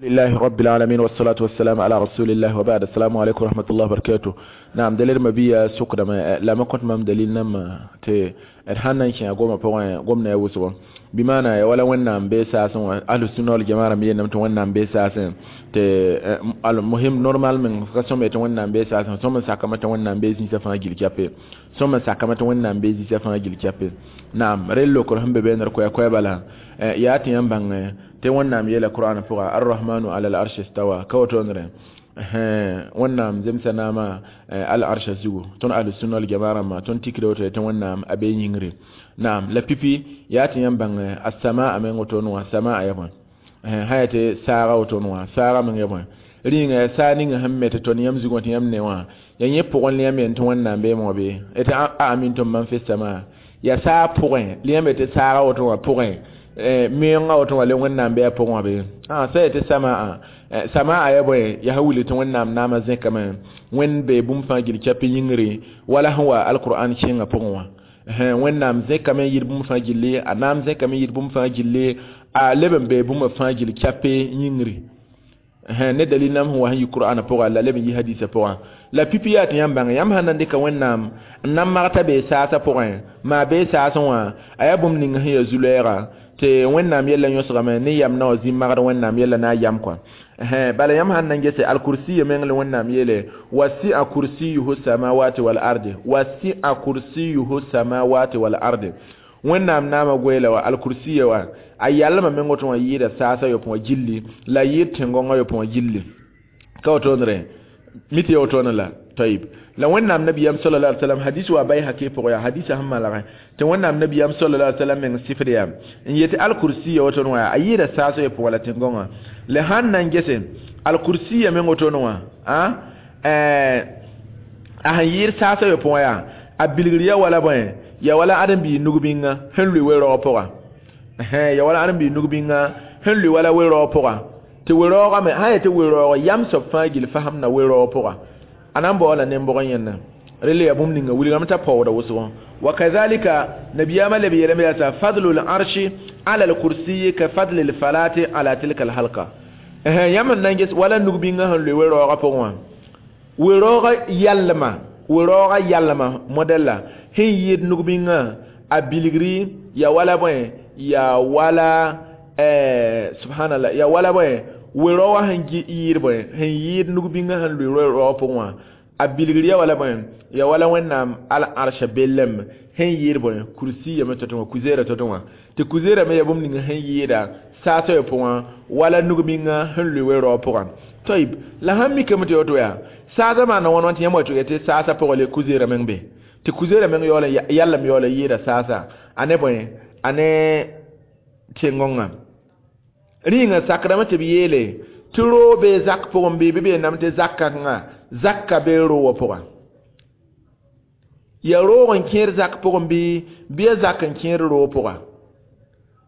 لله رب العالمين والصلاة والسلام على رسول الله وبعد. السلام عليكم ورحمة الله وبركاته. نعم، دليل ما بيا سوق دما لما كنت مام دليل نم تي الحنا كي غوما بوين غومنا يوسو بمعنى ولا ونام بي ساسن اهل السنه والجماعه مي نم تو ونام بي ساسن تي المهم normal من قسم تو ونام بي ساسن ثم ساكما تو ونام بي زي سفا جيل كابي ثم ساكما تو ونام بي زي سفا جيل كابي. نعم، ريلو كل هم بين كوي كوي بلا ياتي ينبغ tɩ wẽnnaam yeela qur'an pʋga arrahmanu ala al-arsh istawa ka woto-nre wẽnnaam zemsa naama al-arsha zugu tõnd ahlu-sunna wal jamaa rãmbã tõnd tikda woto tɩ wẽnnaam a be yĩngre. Naam, la pipi yaa tɩ yãmb bãng as-samaa meng woto wã samaa ya bõe sã yaa tɩ saaga woto wã saaga meng ya bõe rĩnga yaa saa ninga sẽn me tɩ tõnd yãmb zugã tɩ yãmb ne wã yaa yẽ pʋgẽ la yãmb yen tɩ wẽnnaam beeme wã be tɩ a amintum man fi samaa yaa saa pʋgẽ la yãmb tɩ saaga woto wã pʋgẽ meoongã woto wã le wẽnnaam bɩ a pʋgẽ wã be sã yaa tɩ samaa samaa ya bõe yaa sẽn wilg tɩ wẽnnaam naamã zẽkame wẽnd bee bũmb fãa gil kɛp yĩngre wala sẽn wa alqur'an kẽngã pʋgẽ wã wẽnnaam zẽkame n yɩd bũmb fãa gilli a naam zẽkame n yɩd bũmb fãa gilli a leb n bee bũmba fãa gil kɛpe yĩngre ne dalil nam sẽn wa sẽn yi qur'ana pʋga la leb n yi hadisa pʋgã la pipi yaa tɩ yãmb bãnge yãmb sãn na n dɩka wẽnnaam n na n magta bee saasã pʋgẽ maa bee saasẽ wã a yaa bũmb ning sẽn yaa zu-lɛɛga tɩ wẽnnaam yella yõsgame ne yam na wã zĩ magd wẽnnaam yella na n yam kɔa bala yãmb sãn na n gese alkursiya meng la wẽnnaam yeele wasi'a kursiyuhu samawati wal ardi wasi'a kursiyuhu samawati wal ardi wẽnnaam naamã goeela wa alkursiya wa a yalmã meng woto wã yɩɩda saasã yopẽ wã gilli la yɩɩd tẽn-gõngã yopẽ wã gilli ka wotone mi tɩ ya wotone la tayib la wẽnnaam nabiyam sallallahu alaihi wasallam hadis wa bayhaqi pʋgẽ yaa hadisa sẽn malgẽ tɩ wẽnnaam nabiyam sallallahu alaihi wasallam meng sifd yaa n yetɩ alkursiya wotone wã a yɩɩda saasã yopẽ wã la tẽn-gõngã la sãn na n gese alkursiya meng wotone wã a sẽn yɩɩd saasã yopẽ wã yaa a bilgr ya wala bõe ya wala ãdem-biig nug-bĩngã sẽn lʋɩ we-raoog pʋga ya wala ãdem-biig nug-bĩngã sẽn lʋɩ wala we-raoog pʋga tɩ we-raoogã me sã n yaa tɩ we-raoog yam soab fãa gill fasemda we-raoog pʋga a na n baoola nen-bʋg yẽnda rel yaa bũmb ninga wilgame t'a paoogda wʋsgo wa kadhalika nabiyaamã leb yeelame yaa t'a fadlu l-arshi ala l-kursiyi ka fadli l-falati ala tilka l-halqa yãmb n na n ges wala nug-bĩngã sẽn lʋɩ we-raoogã pʋgẽ wã we-raoogã yalma we-raoogã yalma modɛlla sẽn yɩɩd nug-bĩngã a bilgri ya wala bõe ya wala subhanallah ya wala bõe we-raoogã sẽn yɩɩd bõe sẽn yɩɩd nug-bĩngã sẽn lʋɩ we-raoogã pʋgẽ wã a bilgr ya wala bõe ya wala wẽnnaam al-arsha bellem sẽn yɩɩd bõe kursiya me tɔ-tɔ wã kuzeera tɔ-tɔ wã tɩ kuzeera me ya bũmb ning sẽn yɩɩda saasã yopẽ wã wala nug-bĩngã sẽn lʋɩ we-raoog pʋgã tayib la sãn mikame tɩ woto yaa saasã maana wãn wã tɩ yãmb wa tɩ tɩ saasã pʋgẽ le kuzeera meng be tɩ kuzeera meng yaool yallem yaool n yɩɩda saasã a ne bõe a ne tẽn-gõngã rĩnga sakdame tɩ b yeele tɩ roog bee zak pʋgẽ bɩ bɩ b yeelame tɩ zak kãngã zakka bee roogã pʋgã ya roog n kẽer zak pʋgẽ bɩ ya zak n kẽer roog pʋga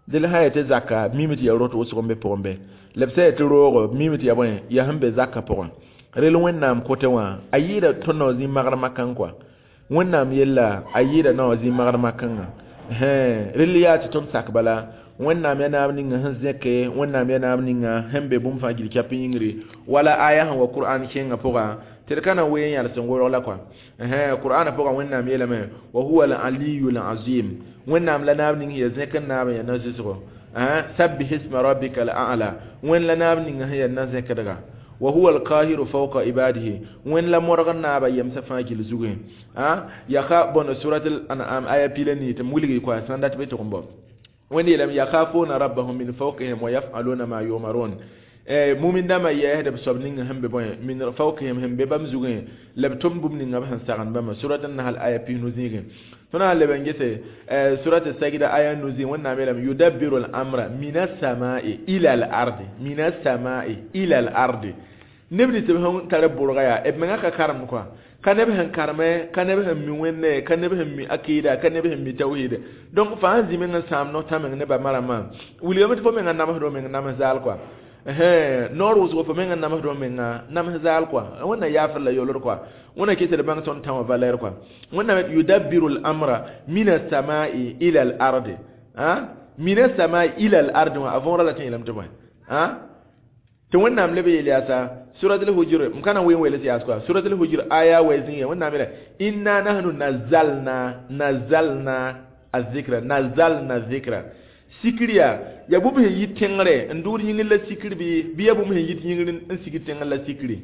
dẽl sã n yaa tɩ zaka mime tɩ ya rot wʋsg n be pʋgẽ be la b sã yaa tɩ roogo mime tɩ ya bõe yaa sẽn be zakã pʋgẽ rel wẽnnaam kote wã a yɩɩda tõnd na wã zĩ magd makãng kɔa wẽnnaam yella a yɩɩda na wã zĩ magd makãngã rel yaa tɩ tõnd sak bala wẽnnaam yaa naab ninga sẽn zẽke wẽnnaam yaa naab ninga sẽn be bũmb fãa gil kɛp yĩngre wala aya sẽn wa qur'an kẽngã pʋga tɩ d ka na n wee n yãls n worg la kɔa qur'ana pʋgã wẽnnaam yeelame wa huwa al-aliyu al-azim wẽnnaam la naab ning yaa zẽk n naab n yaa na-zʋsgo sabbih isma rabbika al-a'la wẽnd la naab ninga sẽn yaa na-zẽkdga wa huwa al-qahiru fawqa ibadihi wẽnd la modg n naaba yemsã fãa gil zugẽ yaka bõn surat al-an'am aya pila nii tɩ m wilgi kɔa sãn dat bɩ tʋg n bao wẽnd yeelame yakhafuna rabbahum min fawqihim wa yaf'aluna ma yu'marun mumin dãmbã yɛɛsd b soab ninga sẽn be bõe min fawqihim sẽn be bãmb zugẽ la b tʋmd bũmb ninga b sẽn sagend bãmba surat an-nahl aya pis-nu zĩigẽ tõnd sã n leb n gese surat sajda aya nu zĩig wẽnnaam yeelame yudabbiru al-amra min as-samai ila al-ardi min as-samai ila al-ardi neb nins b sẽn tar bʋrga yaa b mengã ka karemd kɔa ka neb sẽn kareme ka neb sẽn mi wẽnne ka neb sẽn mi akida ka neb sẽn mi tawhid donc fãa sẽn zĩ meng n sãam no-tã meng ne ba marambã wilgame tɩ fo mengã namsd meng nams zaal kɔa noor wʋsgo fo mengã namsd menga nams zaal kɔa wẽnna yaafr la yolr kɔa wẽnna kɩ tɩ d bãng tõnd tã wã valɛr kɔa wẽnnaam yudabbiru al-amra min as-samai ila al-ardi min as-samai ila al-ardi wã a võora la tɩ yeelame tɩ bõe Tɩ Wẽnnaam leb yeel yaasa surat al-Hujur, m ka na n wee n weels yaas koa surat al-Hujur aya wɛ zĩigã. Wẽnnaam yeela inna nahnu nazalna azikra, nazalna zikra. Sikr yaa bũmb sẽn yit tẽngre n dʋʋd yĩngr la sikr bɩ yaa bũmb sẽn yit yĩngr n sig tẽngr la sikri.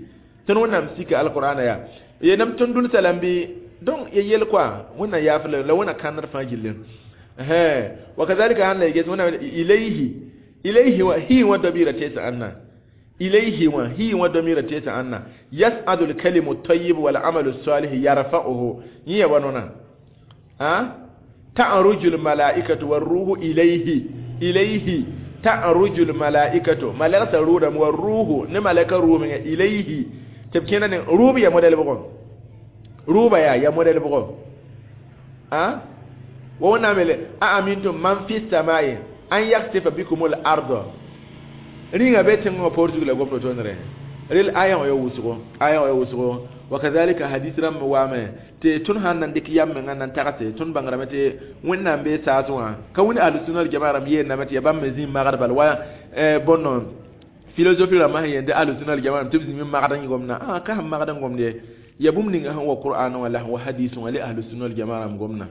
Tõnd Wẽnnaam sika alqur'ana yaa yeelame tõnd dʋlsa lame bɩ. Donc ya yel koa Wẽnnaam yaaf la Wẽnna kãndr fãa gilli. Wa kazalika sãn la y ges Wẽnnaam ilayhi, ilayhi wã hi wã dabɩɩra teesa ãnna ilayhi wã hi wã damira teesa ãnna yas'adu al-kalimu at-tayyib wal amalu as-salih yarfa'uhu. Yẽ ya wa nona a ta'ruju al-mala'ikatu war-ruhu ilayhi, ilayhi ta'ruju al-mala'ikatu, malaka rudam war-ruhu ne malaka ruhu menga ilayhi tɩ b kẽna ne rʋʋb ya modɛl bʋgɔ, rʋʋba yaa modɛl bʋgɔ. A wa Wẽnnaam yeele a amintum man fi samai an yaksifa bikum al-arda. Rĩnga be tẽngã poor zug la gomd tõndre rel aya wã ya wʋsgo, aya wã ya wʋsgo. Wa kazalika hadis rãmb waame tɩ tõnd sãn na n dɩk yam menga n na n tagse tõnd bãngrame tɩ Wẽnnaam bee saas wã ka wẽnd ahlusunna wal jamaa rãmb yeelname tɩ ya bãmb me zĩ magd bal wa bõn philosophie rãmbã sẽn yeel tɩ ahlusunna wal jamaa tɩ b zĩm n magd n gomdã. A ka sẽn magd n gomd ye, ya bũmb ninga sẽn wa Qur'an wã la sẽn wa hadis wã le ahlusunna wal jamaa rãmb gomdã.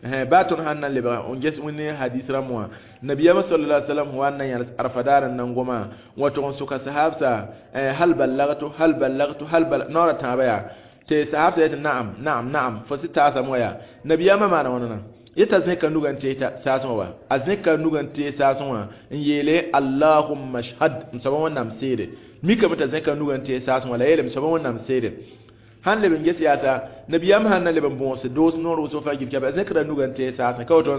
Baa tõnd sãn na n lebg n ges wẽnd hadis rãmb wã, nabiyama sallallahu alaihi wasallam wa na yãls arfa daar n nan goma wa tʋg n soka sahabsa hal ballagtu, hal ballagtu, hal bal naoora tãabã yaa tɩ sahabsa yetɩ na'am, na'am, na'am, fo sɩ taasame wã yaa nabiyama maana wãna yetɩ a zẽka nugã n tees saasẽ wã, a zẽka nugã n tees saasẽ wã n yeele allahumma shhad, m soaba Wẽnnaam seede. Mikame t'a zẽka nugã n tees saasẽ wã la yeelame soaba Wẽnnaam seede. Sãn leb n ges yaasa nabiyam sãn na leb n bõos doos noor wʋsg fãa gil kɛba a zẽkra nugã n tees saasẽ ka woto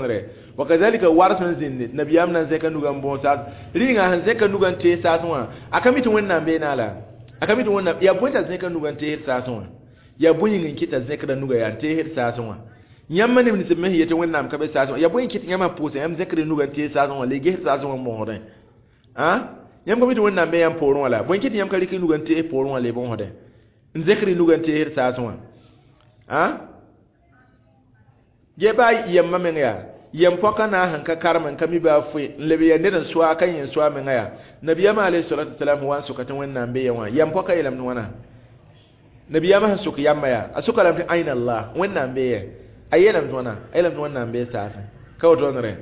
wa kazalika war sẽn zĩndi nabiyam na n zẽka nugã n bõos saas rĩnga sẽn zẽka nugã n tees saasẽ wã a ka mi tɩ Wẽnnaam bee naa la a ka mi tɩ Wẽnnaam yaa bõe t'a zẽka nugã n teesd saasẽ wã yaa bõe yĩng n kɩt t'a zẽkra nugã yaa n teesd saasẽ wã. Yãmb neb nins me sẽn yetɩ Wẽnnaam ka be saasẽ wã yaa bõe n kɩt yãmb sã pʋʋsã yãmb zẽkr nugã n tees saasẽ wã la y gesd saasẽ wã n bõosdẽ. Yãmb ka mi tɩ Wẽnnaam be yãmb poorẽ wã la bõe n kɩt yãmb ka rɩk nugã n tees poorẽ wã la y bõosdẽ n zẽkr nugã n teesd saasẽ wã. Ge baa yɛmma meng yaa yɛm pɔka na sẽn ka karem n ka mi baa foe n leb ya ned n soa ka yẽ n soa menga yaa nabiyama alayhi salatu wasalam wa n soka tɩ Wẽnnaam be ya wã yɛm pɔka yeelame tɩ wãna nabiyama sẽn sok yamba yaa a soka lame tɩ aina Allah, Wẽnnaam be yɛ a yeelame tɩ wãna a yeelame tɩ Wẽnnaam bee saasẽ ka woto tõndre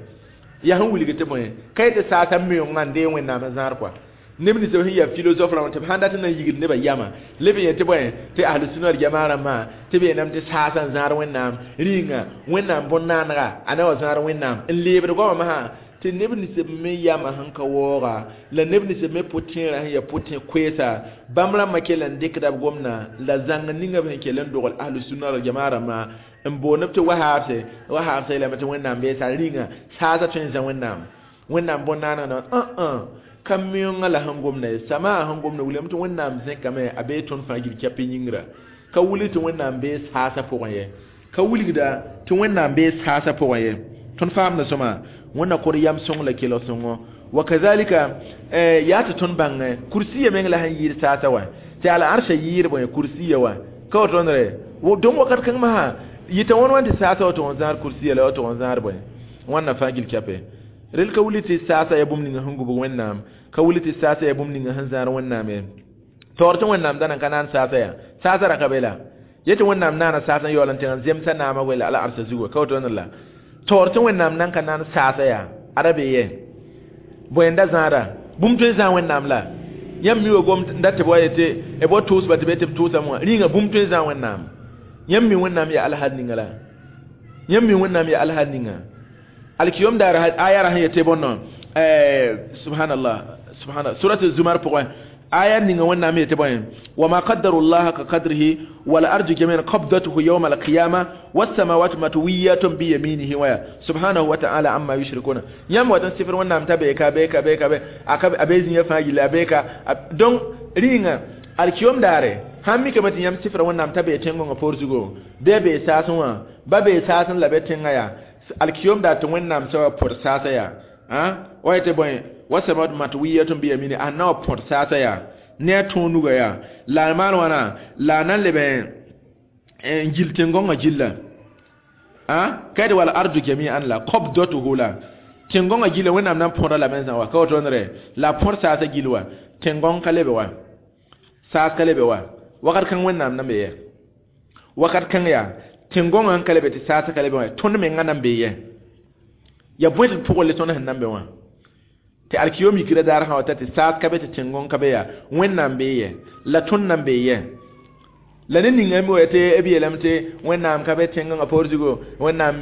yaa sẽn wilg tɩ bõe ka yetɩ saasã meoongã n dee Wẽnnaam n zãad kɔa neb nins sẽn yaa philosophe rãmb tɩ b sãn dat n na n yigd nebã yama leb n yel tɩ bõe tɩ ahlusunna wal jamaa rãmbã tɩ b yeelame tɩ saasã n zãad Wẽnnaam rĩnga Wẽnnaam bõn-naanega a na wa zãad Wẽnnaam n leebd goamã masã tɩ neb nins me yama sẽn ka waooga la neb nins me pʋ-tẽerã sẽn yaa pʋ-tẽ-koeesa bãmb rãmbã kell n dɩkda b gomdã la zãng ninga b sẽn kell n dogl ahlusunna wal jamaa rãmbã n boond b tɩ wahaabse wahaabsa yeelame tɩ Wẽnnaam bee sa rĩnga saasã tõe n zã Wẽnnaam Wẽnnaam bõn-naanega na ka meoongã la sẽn gomda ye samaa sẽn gomda wilgame tɩ Wẽnnaam zẽkame a bee tõnd fãa gil kɛp yĩngra ka wilg tɩ Wẽnnaam bee saasã pʋgẽ ye ka wilgda tɩ Wẽnnaam bee saasã pʋgẽ ye tõnd faamda sõma Wẽnna kor yam sõng la kelg sõngo. Wa kazalika yaa tɩ tõnd bãng kursiya meng la sẽn yɩɩd saasã wã tɩ al arsã yɩɩd bõe kursiya wã ka woto tõndre donc wakat kãng masã yɩta wãn wãn tɩ saasã wa tʋg n zãad kursiya la wa tʋg n zãad bõe wãnna fãa gil kɛpe rel ka wilg tɩ saasã yaa bũmb ninga sẽn gubg Wẽnnaam ka wilg tɩ saasã yaa bũmb ninga sẽn zãad Wẽnnaam ye taoor tɩ Wẽnnaam da nan ka naan saasã yaa saasã ra ka be la yetɩ Wẽnnaam naana saasã yaool n tẽg n zemsa naamã wela ala arsa zugu ka woto la taoor tɩ Wẽnnaam nan ka naan saasã yaa ada be ye bõe n da zãada bũmb tõe n zãa Wẽnnaam la yãmb mi wa gom n dat tɩ b wa yetɩ b wa tʋʋsba tɩ be tɩ b tʋʋsame wã rĩnga bũmb tõe n zãa Wẽnnaam yãmb mi Wẽnnaam yaa alhal ninga la yãmb mi Wẽnnaam yaa alhal ninga alkiyom daar aya ra sẽn yetɩ bõnno subhanallah, subhanallah, surat zumar pʋgẽ aya ninga Wẽnnaam yetɩ bõe wama qaddaru llaha ka qadrihi wal ardu jamian qabdatuhu yawma alqiyama wassamawatu matwiyatun biyaminihi waya subhanahu wa ta'ala amma yushrikuna. Yãmb wat n sɩfr Wẽnnaam t'a beeka beeka beeka be a be zĩiga fãa gilla a beeka donc rĩnga alkiyom daare sãn mikame tɩ yãmb sɩfra Wẽnnaam t'a bee tẽn-gõngã poor zugo bɩ a bee saasẽ wã ba bee saasẽ la be tẽngã yaa alkiyom daar tɩ Wẽnnaam sa wa põd saasã yaa wa yetɩ bõe wasamawat matwiyatun biyamini a na wa põd saasã yaa ne a tõog nuga yaa la a maan wãna la a na n leb n gil tẽn-gõngã gilla ka yetɩ wal ardu jami'an la qabdatuhu la tẽn-gõngã gilla Wẽnnaam na n põda lame n zã wa ka woto re la a põd saasã gil wa Tẽn-gõng ka lebe wa, saas ka lebe wa, wakat kãng Wẽnnaam nan be yɛ? Wakat kãng yaa tẽn-gõngã n ka lebe tɩ saasã ka lebe wã, tõnd mengã nan bee yɛ? Ya bõe tɩ d pʋgẽ le tõnd sẽn nan be wã? Tɩ alkiyom yikra daar sã wa ta tɩ saas ka be tɩ tẽn-gõng ka be yaa, Wẽnnaam bee yɛ? La tõnd nan bee yɛ? La ned ninga n wa tɩ b yeelame tɩ Wẽnnaam ka be tẽn-gõngã poor zugu, Wẽnnaam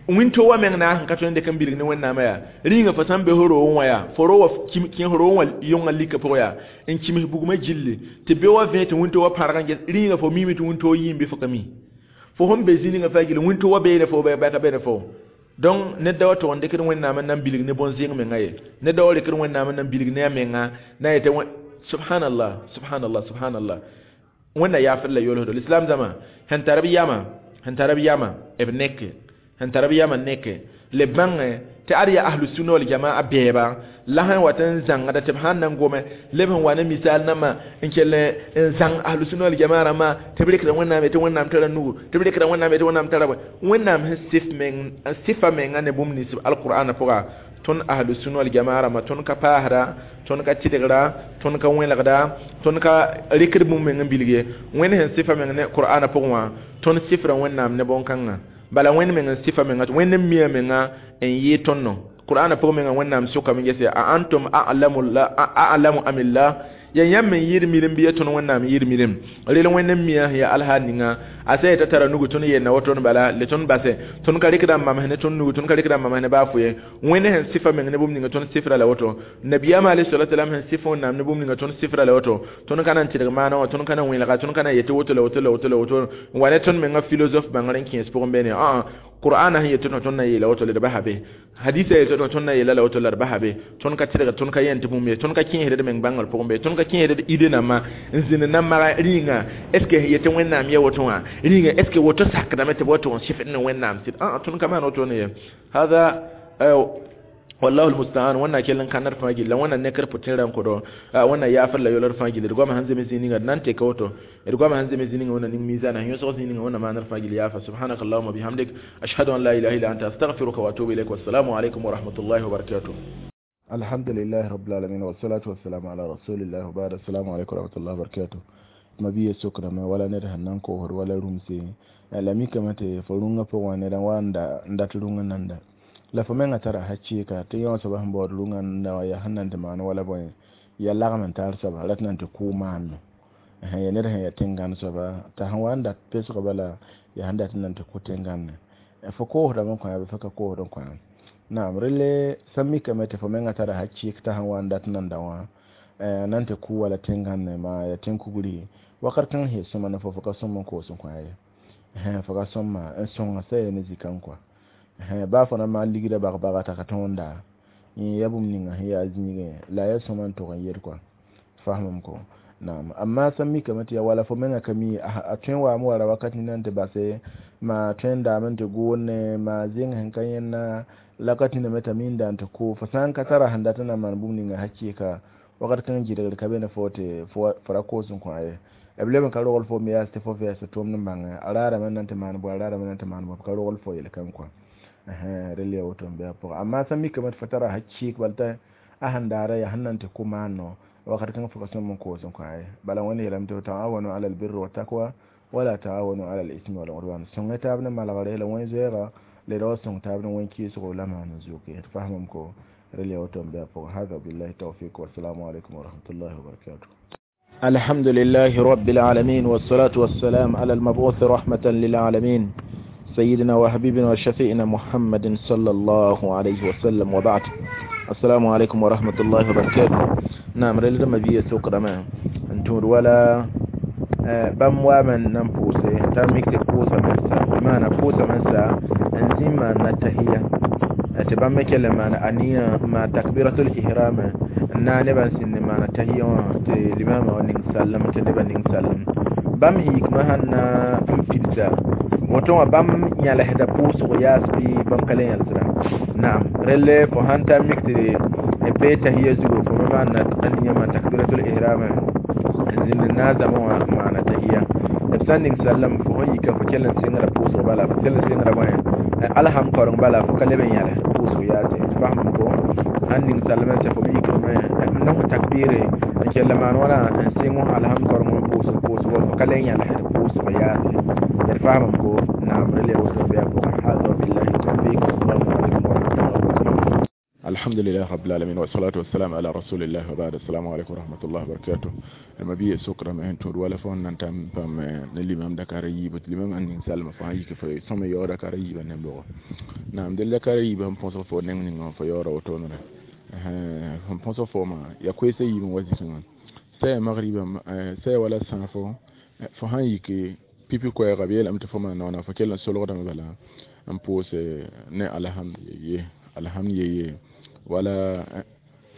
wĩnto wã meng naas n ka tõe n dɩk n bilg ne Wẽnnaamã yaa. Rĩungã fo sã n be fo roogẽ wã yaa, fo roog wã kẽ fo roogẽ wã yõngã lika pʋgẽ yaa, n kims bugmã gilli tɩ be wã vẽ tɩ wĩnto wã pãrg n ges. Rĩungã fo miime tɩ wĩnto yɩɩm bɩ fo ka mi? Fo sẽn be zĩ ninga fãa gilli, wĩnto wã beene fo bɩ ka beene fo? Donc ned da wa tʋg n dɩkd Wẽnnaam n na n bilg ne bõn-zẽng menga ye. Ned da wa rɩkd Wẽnnaam n na n bilg ne a menga na yetɩ subhanallah, subhanallah, subhanallah. Wẽnna yaafd la yolsdo. Lislaam zãma sẽn tar b yamã, sẽn tar b yamã b neke, sẽn tar b yamã neke le bãngẽ tɩ ad yaa ahlu sunna wal jamaa bɛɛba la sẽn wat n zãngda tɩ b sãn na n gome leb sẽn wa ne misaal nãmbã n kell n zãng ahlu sunna wal jamaa rãmbã tɩ b rɩkda Wẽnnaam yetɩ Wẽnnaam tara nugu, tɩ b rɩkda Wẽnnaam yetɩ Wẽnnaam tara bõe. Wẽnnaam sẽn sɩf meng sɩfa menga ne bũmb nins alqur'ana pʋga, tõnd ahlu sunna wal jamaa rãmbã tõnd ka paasda, tõnd ka tɩdgda, tõnd ka wẽlgda, tõnd ka rɩkd bũmb meng n bilg ye. Wẽnd sẽn sɩfa meng ne qur'ana pʋgẽ wã, tõnd sɩfra Wẽnnaam ne bõn-kãngã. Bala Wẽnd meng n sɩfa menga, Wẽnd n mia menga n yɩɩ tõndo. Qur'ana pʋgẽ menga Wẽnnaam sʋkame gese a antum a'lamu amillah, ya yãmb n yɩɩd mirim bɩ ya tõnd Wẽnnaam yɩɩd mirim. Rel Wẽnd n mia sẽn yaa alhaal ninga a sã yetã tara nugu, tõnd yeelna woto bala le tõnd base, tõnd ka rɩkda n mams ne tõnd nugu, tõnd ka rɩkda n mams ne baa fo ye. Wẽnd sẽn sɩfa meng ne bũmb ninga, tõnd sɩfra la woto. Nabiyaamã alayhi salatu wasalam sẽn sɩf Wẽnnaam ne bũmb ninga, tõnd sɩfra la woto. Tõnd ka na n tɩdg maana wã, tõnd ka na n wẽlga, tõnd ka na n yetɩ woto la woto la woto la woto n wa ne tõnd menga philosophe bãngr n kẽes pʋgẽ beene. Ãa, qur'ana sẽn yetɩ tõnd na yeela woto la d basa be, hadisa yetɩ tõnd na yeela la woto la d basa be. Tõnd ka tɩdg, tõnd ka yẽn tɩ bũmb ye, tõnd ka kẽesd d meng bãngr pʋgẽ be, tõnd ka kẽesd d ide nambã n zĩnd na n maga rĩnga est ce que yetɩ Wẽnnaam ya woto wã, rĩnga est ce que woto sakdame tɩ b wa tʋg n sɩfd ne Wẽnnaam sɩd. Ãa, tõnd ka maan woto ne ye. Hada wallahu almusta'an. Wẽnna kell n kãndr fãa gilla, Wẽnna nekr pʋtẽerã n kõ Wẽnna yaafr la yolr fãa gilli. D goamã sẽn zems zĩ ninga d na n teka woto, d goamã sẽn zems zĩ ninga Wẽnna ning mizana sẽn yõsg zĩ ninga Wẽnna maanr fãa gill yaafa. Subhanaka allahuma bihamdik, ashhadu an la ilaha illa anta, astaghfiruka wa atubu ilayk. Wassalamu alaykum wa rahmatullahi wa barakatuh. Alhamdulillahi rabbil alamin, wassalatu wassalamu ala rasulillah, wa ba'd. Assalamu alaykum wa rahmatullahi wa barakatuh. Mabiya sokrame wala ned sẽn na n koosd wala rũmse la mikame tɩ fo rũngã pʋgẽ wã ned n wa n dat rũngã nanda la fo menga tara hakɩɩka tɩ yõ soaba sẽn baood rũngã nanda wã yaa sẽn na n tɩ maan wala bõe yaa lagm n tar soaba rat na n tɩ kʋʋ maanno ya ned sẽn yaa tẽn-gãnd soaba t'a sẽn wa n dat pesg bala yaa sẽn dat n na n tɩ kʋ tẽn-gãnde fo koosdame n kõ yaa bɩ fo ka koosd n kõ. Naam, relle sã n mikame tɩ fo menga tara hakɩɩk t'a sẽn wa n dat nanda wã na n tɩ kʋ wala tẽn-gãnde maa yaa tẽn-kugri wakat kãng sẽn sõma ne fo ka sõm n koos n kõ ye, fo ka sõma n sõnga sa ya ne zikã kɔa baa fo na maan ligrã bag-baga t'a ka tõenda yẽ ya bũmb ninga sẽn yaa zĩigẽ la ya sõma n tʋg n yel kɔa fasmam ko. Naam, amma sã n mikame tɩ ya wala fo menga ka mi a tõe n waame wara wakat nina n tɩ base maa tõe n daame n tɩ goone maa zẽng sẽn ka yẽnna la ka tĩname t'a minda n tɩ kʋ fo sã n ka tara sẽn dat n na n maan bũmb ninga hakɩɩka wakat kãng gɩdgr ka be ne fo tɩ fo ra koos n kõ ye. B leb n ka rogl fo me yaas tɩ fo vɛɛs tʋʋmd n bãngẽ a raadame n na n tɩ maan bõe, a raadame n na n tɩ maan bõe, b ka rogl fo yel-kãng kɔa rel ya woto n bɩ a pʋgã. Amma sã n mikame tɩ fo tara hakɩɩk bala t'a sẽn daara yaa sẽn na n tɩ kʋ maano wakat kãng fo ka sõm n koos n kõ ye. Bala Wẽnd yeelame tɩ ta'awanu ala albirri wa taqwa wala ta'awanu ala al-ismi wal udwan, sõnge taab ne malgre la wẽn-zoeega le ra wa sõng taab ne wẽn-kɩɩsgo la maan n zoke tɩ fasmam ko rel ya woto n bɩ a pʋgã. Hada billahi tawfiq, wassalamu alaikum wa rahmatullahi wa barakatuh. الحمد لله رب العالمين، والصلاة والسلام على المبعوث رحمة للعالمين، سيدنا وحبيبنا وشفيعنا محمد صلى الله عليه وسلم، وبعد. السلام عليكم ورحمة الله وبركاته. نعم، رجل ما بيه سوق رما انتور ولا بام وامن نمبوسي تاميك تبوسا منسا ما نبوسا منسا انزيما نتهية تبام كلمة أنية ما تكبيرة الإحرام na ne ban sin ma na tahiyya te limama wa ning sallam te ne ban ning sallam bam hikma hanna n fidda woto wa bam yãlsda pʋʋsg yaas bɩ bãmb ka le yãlsda. Naam, relle fo sãn ta mik tɩ be tahiya zugu fo me maan aniya ma takbiratul ihram n zĩnd n na n zãma wã maana tahiya b sã n ning sallam fo sẽn yika fo kell n sɩngra pʋʋsg bala fo kell n sɩngra bõe alham kaoreng bala fo ka leb n yãls pʋʋsg yaase. Fasem ko Sãn ning salmã tɩ fo me yikame n nõs takbɩɩre n kell n maan wãna n sɩng alhamd koreng n pʋʋsg pʋʋsgo fo ka le n yãlsd pʋʋsg yaase d faamame ko naam rel ya woto bɩ a pʋgẽ. Hada wabillahi tawfik, wassalamu alaikum warahmatullahi wabarakatuh. الحمد لله رب العالمين والصلاة والسلام على رسول الله وبعد. السلام عليكم ورحمة الله وبركاته. ما بي سكر ما هن تور ولا فون نانتام pam ne limam dakar yiib limam an ning salma fa yik fo sõma yaood dakar yiibã ne bʋgɔ naam del dakar yiibã n põsg fo neng ninga fo yaooda wotone sẽn põsg fooma ya koeesã yiib n wa zikẽ wã sɛ magriba sɛ wala sãafo fo sãn yik pipi koɛɛga b yeelame tɩ fo maan noona fo kell n solgdame bala n pʋʋse ne alhamd ye alhamd ye wala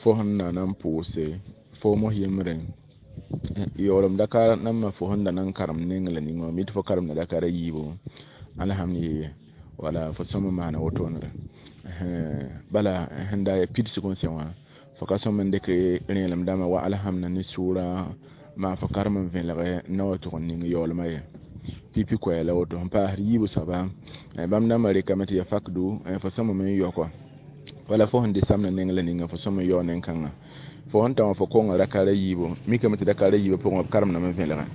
fo sẽn na n pʋʋse fo mos yembrẽ yaoolem dakar nambã fo sẽn da na n karem neng la ning wã mi tɩ fo karemda dakar a yiibu alhamd ye wala fo sõm n maana wotoonre bala sẽn da ya pidsg n sẽ wã fo ka sõm n dɩk rẽelem dãmbã wa alhamda ne sʋʋra maa fo karem n vẽlg na wa tʋg n ning yaoolmã ye pipi koɛɛ la woto sẽn paasd yiibu soaba bãmb dãmbã rekame tɩ ya fakdu fo sõmame n yaokɔ wala fo sẽn dɩ samda neng la ninga fo sõm n yao nen-kãngã fo sẽn ta wã fo konga rakara yiibu mikame tɩ dakara yiibã pʋgẽ b karemdame vẽlgẽ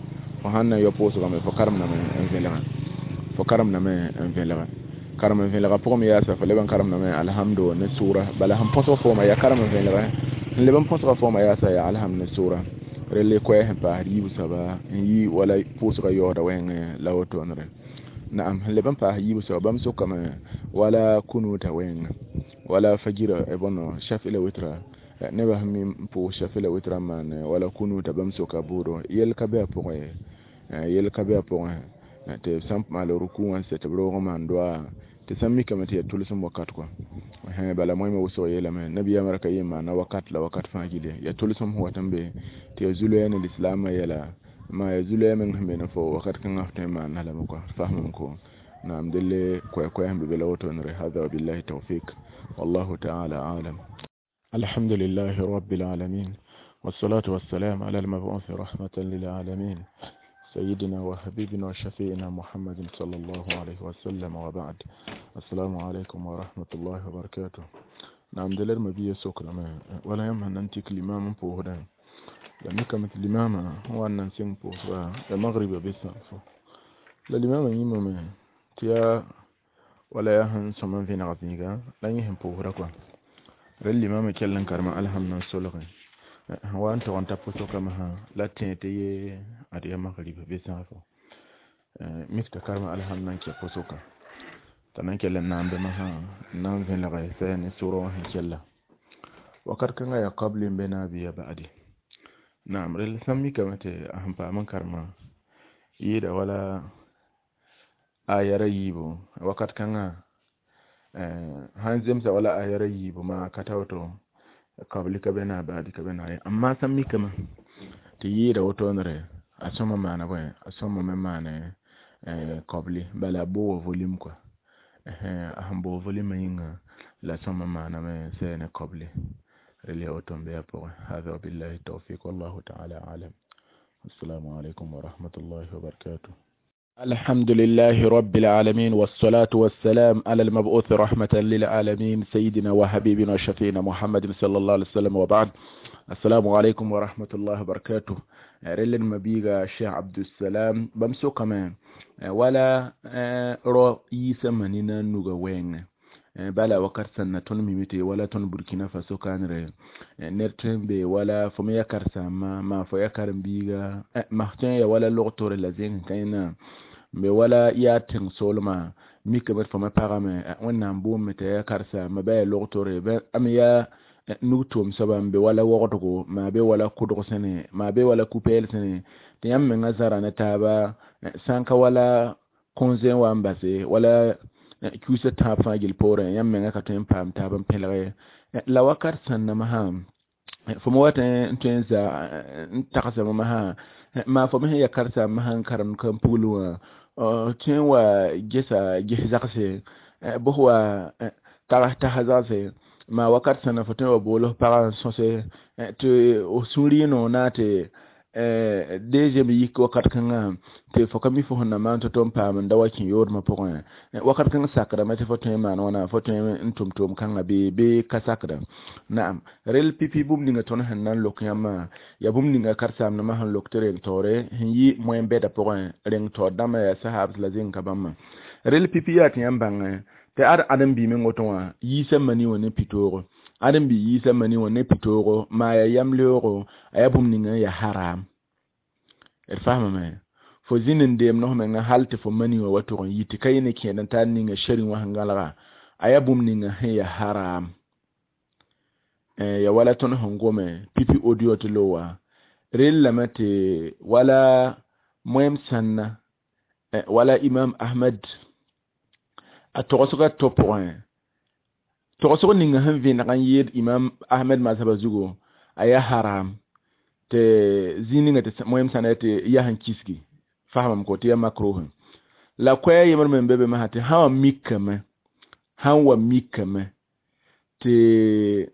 fo sãn na n yao pʋʋsgame fo karemdame n vẽlgẽ fo karemdame n vẽlgẽ karem n vẽlgã pʋgẽ me yaasa fo leb n karemdame alhamdo ne sʋʋra bala sẽn põsg fooma yaa karem n vẽlgẽ sẽn leb n põsga fooma yaasa yaa alhamd ne sʋʋra relle koɛɛ sẽn paasd yiibu soaba n yi wala pʋʋsgã yaooda wẽngẽ la wotoonre naam sẽn leb n paas yiibu soaba bãmb sʋkame wala kunuta wẽngẽ wala fajira bõno shafi la witra nebã sẽn mi n pʋʋs shafi la witra n maan wala kunuta bãmb soka bʋʋdo yell ka be a pʋgẽ yell ka be a pʋgẽ tɩ b sã n maal ruku wã n sɛ tɩ b roog n maan doa tɩ sã n mikame tɩ yaa tʋlsem wakat kɔ bala moẽmã wʋsg yeelame nabiyaamã ra ka yen maana wakat la wakat fãa gilli yaa tʋlsem sẽn wat n be tɩ yaa zu-loɛɛ ne lislaamã yɛla maa yaa zu-loɛɛ meng sẽn be ne fo wakat kãngã f tõe n maana lame kɔ fasmame ko naam delle koɛ-koɛɛ sẽn be be la wotoonre. Hada wabillahi tawfik wallahu taala alam. الحمد لله رب العالمين والصلاة والسلام على المبعوث رحمة للعالمين سيدنا وحبيبنا وشفيعنا محمد صلى الله عليه وسلم وبعد. السلام عليكم ورحمة الله وبركاته. نعم دلر مبيه سكر ولا يمهن ننتك الإمام بوهدان لما كانت الإمام هو أن نسين بوهدا المغرب بس الإمام يمام تيا ولا يهن سمن في نغزنيغا لا يهن بوهدا كوا rel limama kell n karema alhamd n solge wa n tog n ta pʋsgame sã la tẽ tɩ ye ad ya magrib bɩ sãafo mik t'a karema alhamd n kɛ pʋsʋka t'a na n kell n naandame sã n na n vẽlge sɛ ne sʋʋrã wã sẽn kella wakat kãngã yaa kabli n be naab ya ba'adi naam rel sã n mikame tɩ a sẽn paam n karema yɩɩda wala ayara yiibu wakat kãngã sãn zemsa wala ayara yiibu maa ka ta woto kabli ka be na baadi ka be na ye amma sã n mikame tɩ yɩɩda wotoonre a sõma maana bõe a sõma me maane kabli bala a booga volume kɔa a sẽn boog volume yĩnga la sõma maaname sɛ ne kabli rel yaa woto n be a pʋgẽ. Hada wabillahi tawfik wallahu taala alam. Assalamu alaikum wa rahmatullahi wa barakatuh. الحمد لله رب العالمين والصلاة والسلام على المبعوث رحمة للعالمين سيدنا وحبيبنا وشفينا محمد صلى الله عليه وسلم وبعد. السلام عليكم ورحمة الله وبركاته. رلن مبيغا الشيخ عبد السلام بمسو كمان ولا رئيس مننا نوغا bala wakat sanna tõnd mime tɩ wala tõnd Burkina Faso kãanre ned tõe n be wala fo me ya karsaambã maa fo ya karen-biiga mas tõe n ya wala log-tore la zẽng kãena n be wala yaa tẽng-soolmã mikame tɩ fo me pagame Wẽnnaam boonme t'a ya karsaambã ba yaa log-tore am yaa nug tʋʋm soaba n be wala wogdgo maa be wala kʋdg sẽne maa be wala ku-pɛɛl sẽne tɩ yãmb menga zara ne taaba sã n ka wala kõ-zẽ wa n base wala kiusa tãab fãa gill poorẽ yãmb menga ka tõe n paam taab n pẽlge la wakat sẽn masã fo me wat n tõe n za n tagsame masã maa fo me sẽn ya karsaambã sãn karemd ka n pugl wã tõe n wa gesa ges zagse bʋs wa tags tasa zagse maa wakat sẽn fo tõe n wa bool f pagã n sõse tɩ f sũur yẽ noog na tɩ DG me yik wakat kãngã tɩ fo ka mi fo sẽn na maan to-to n paam n da wa kẽ yoodmã pʋgẽ wakat kãng sakdame tɩ fo tõe n maan wãna fo tõe n tʋm tʋʋm kãngã bɩ ka sakda naam rel pipi bũmb ninga tõnd sẽn na n lok yãmbã yaa bũmb ninga karen-saamdãmbã sẽn lok tɩ reng taoore sẽn yi moyen bɛda pʋgẽ reng taoor dãmbã yaa sahabs la zẽng ka bãmbã rel pipi yaa tɩ yãmb bãngẽ tɩ ad ãdem-bi meng woto wã yiisa mani wã ne pitoogo ãdem-bi yiisa mani wã ne pitoogo maa yaa yam-leoogo a yaa bũmb ninga n yaa haram d faamame fo zĩnd n deem nos menga hal tɩ fo mani wã wa tʋg n yi tɩ ka yẽ ne kẽed n tar ninga shari wã sẽn gãlga a yaa bũmb ninga sẽn yaa haram ya wala tõnd sẽn gome pipi audio tɩ lo wa rellame tɩ wala moem sãnna wala imam ahmad a togsga to pʋgẽ togsg ninga sẽn vẽneg n yeel imam ahmed mazhaba zugu a yaa haram tɩ zĩig ninga tɩ moem sãna tɩ yaa sẽn kisgi faamam ko tɩ yaa makruh la koɛɛ yembr me n be be masã tɩ sã sã wa mikame tɩ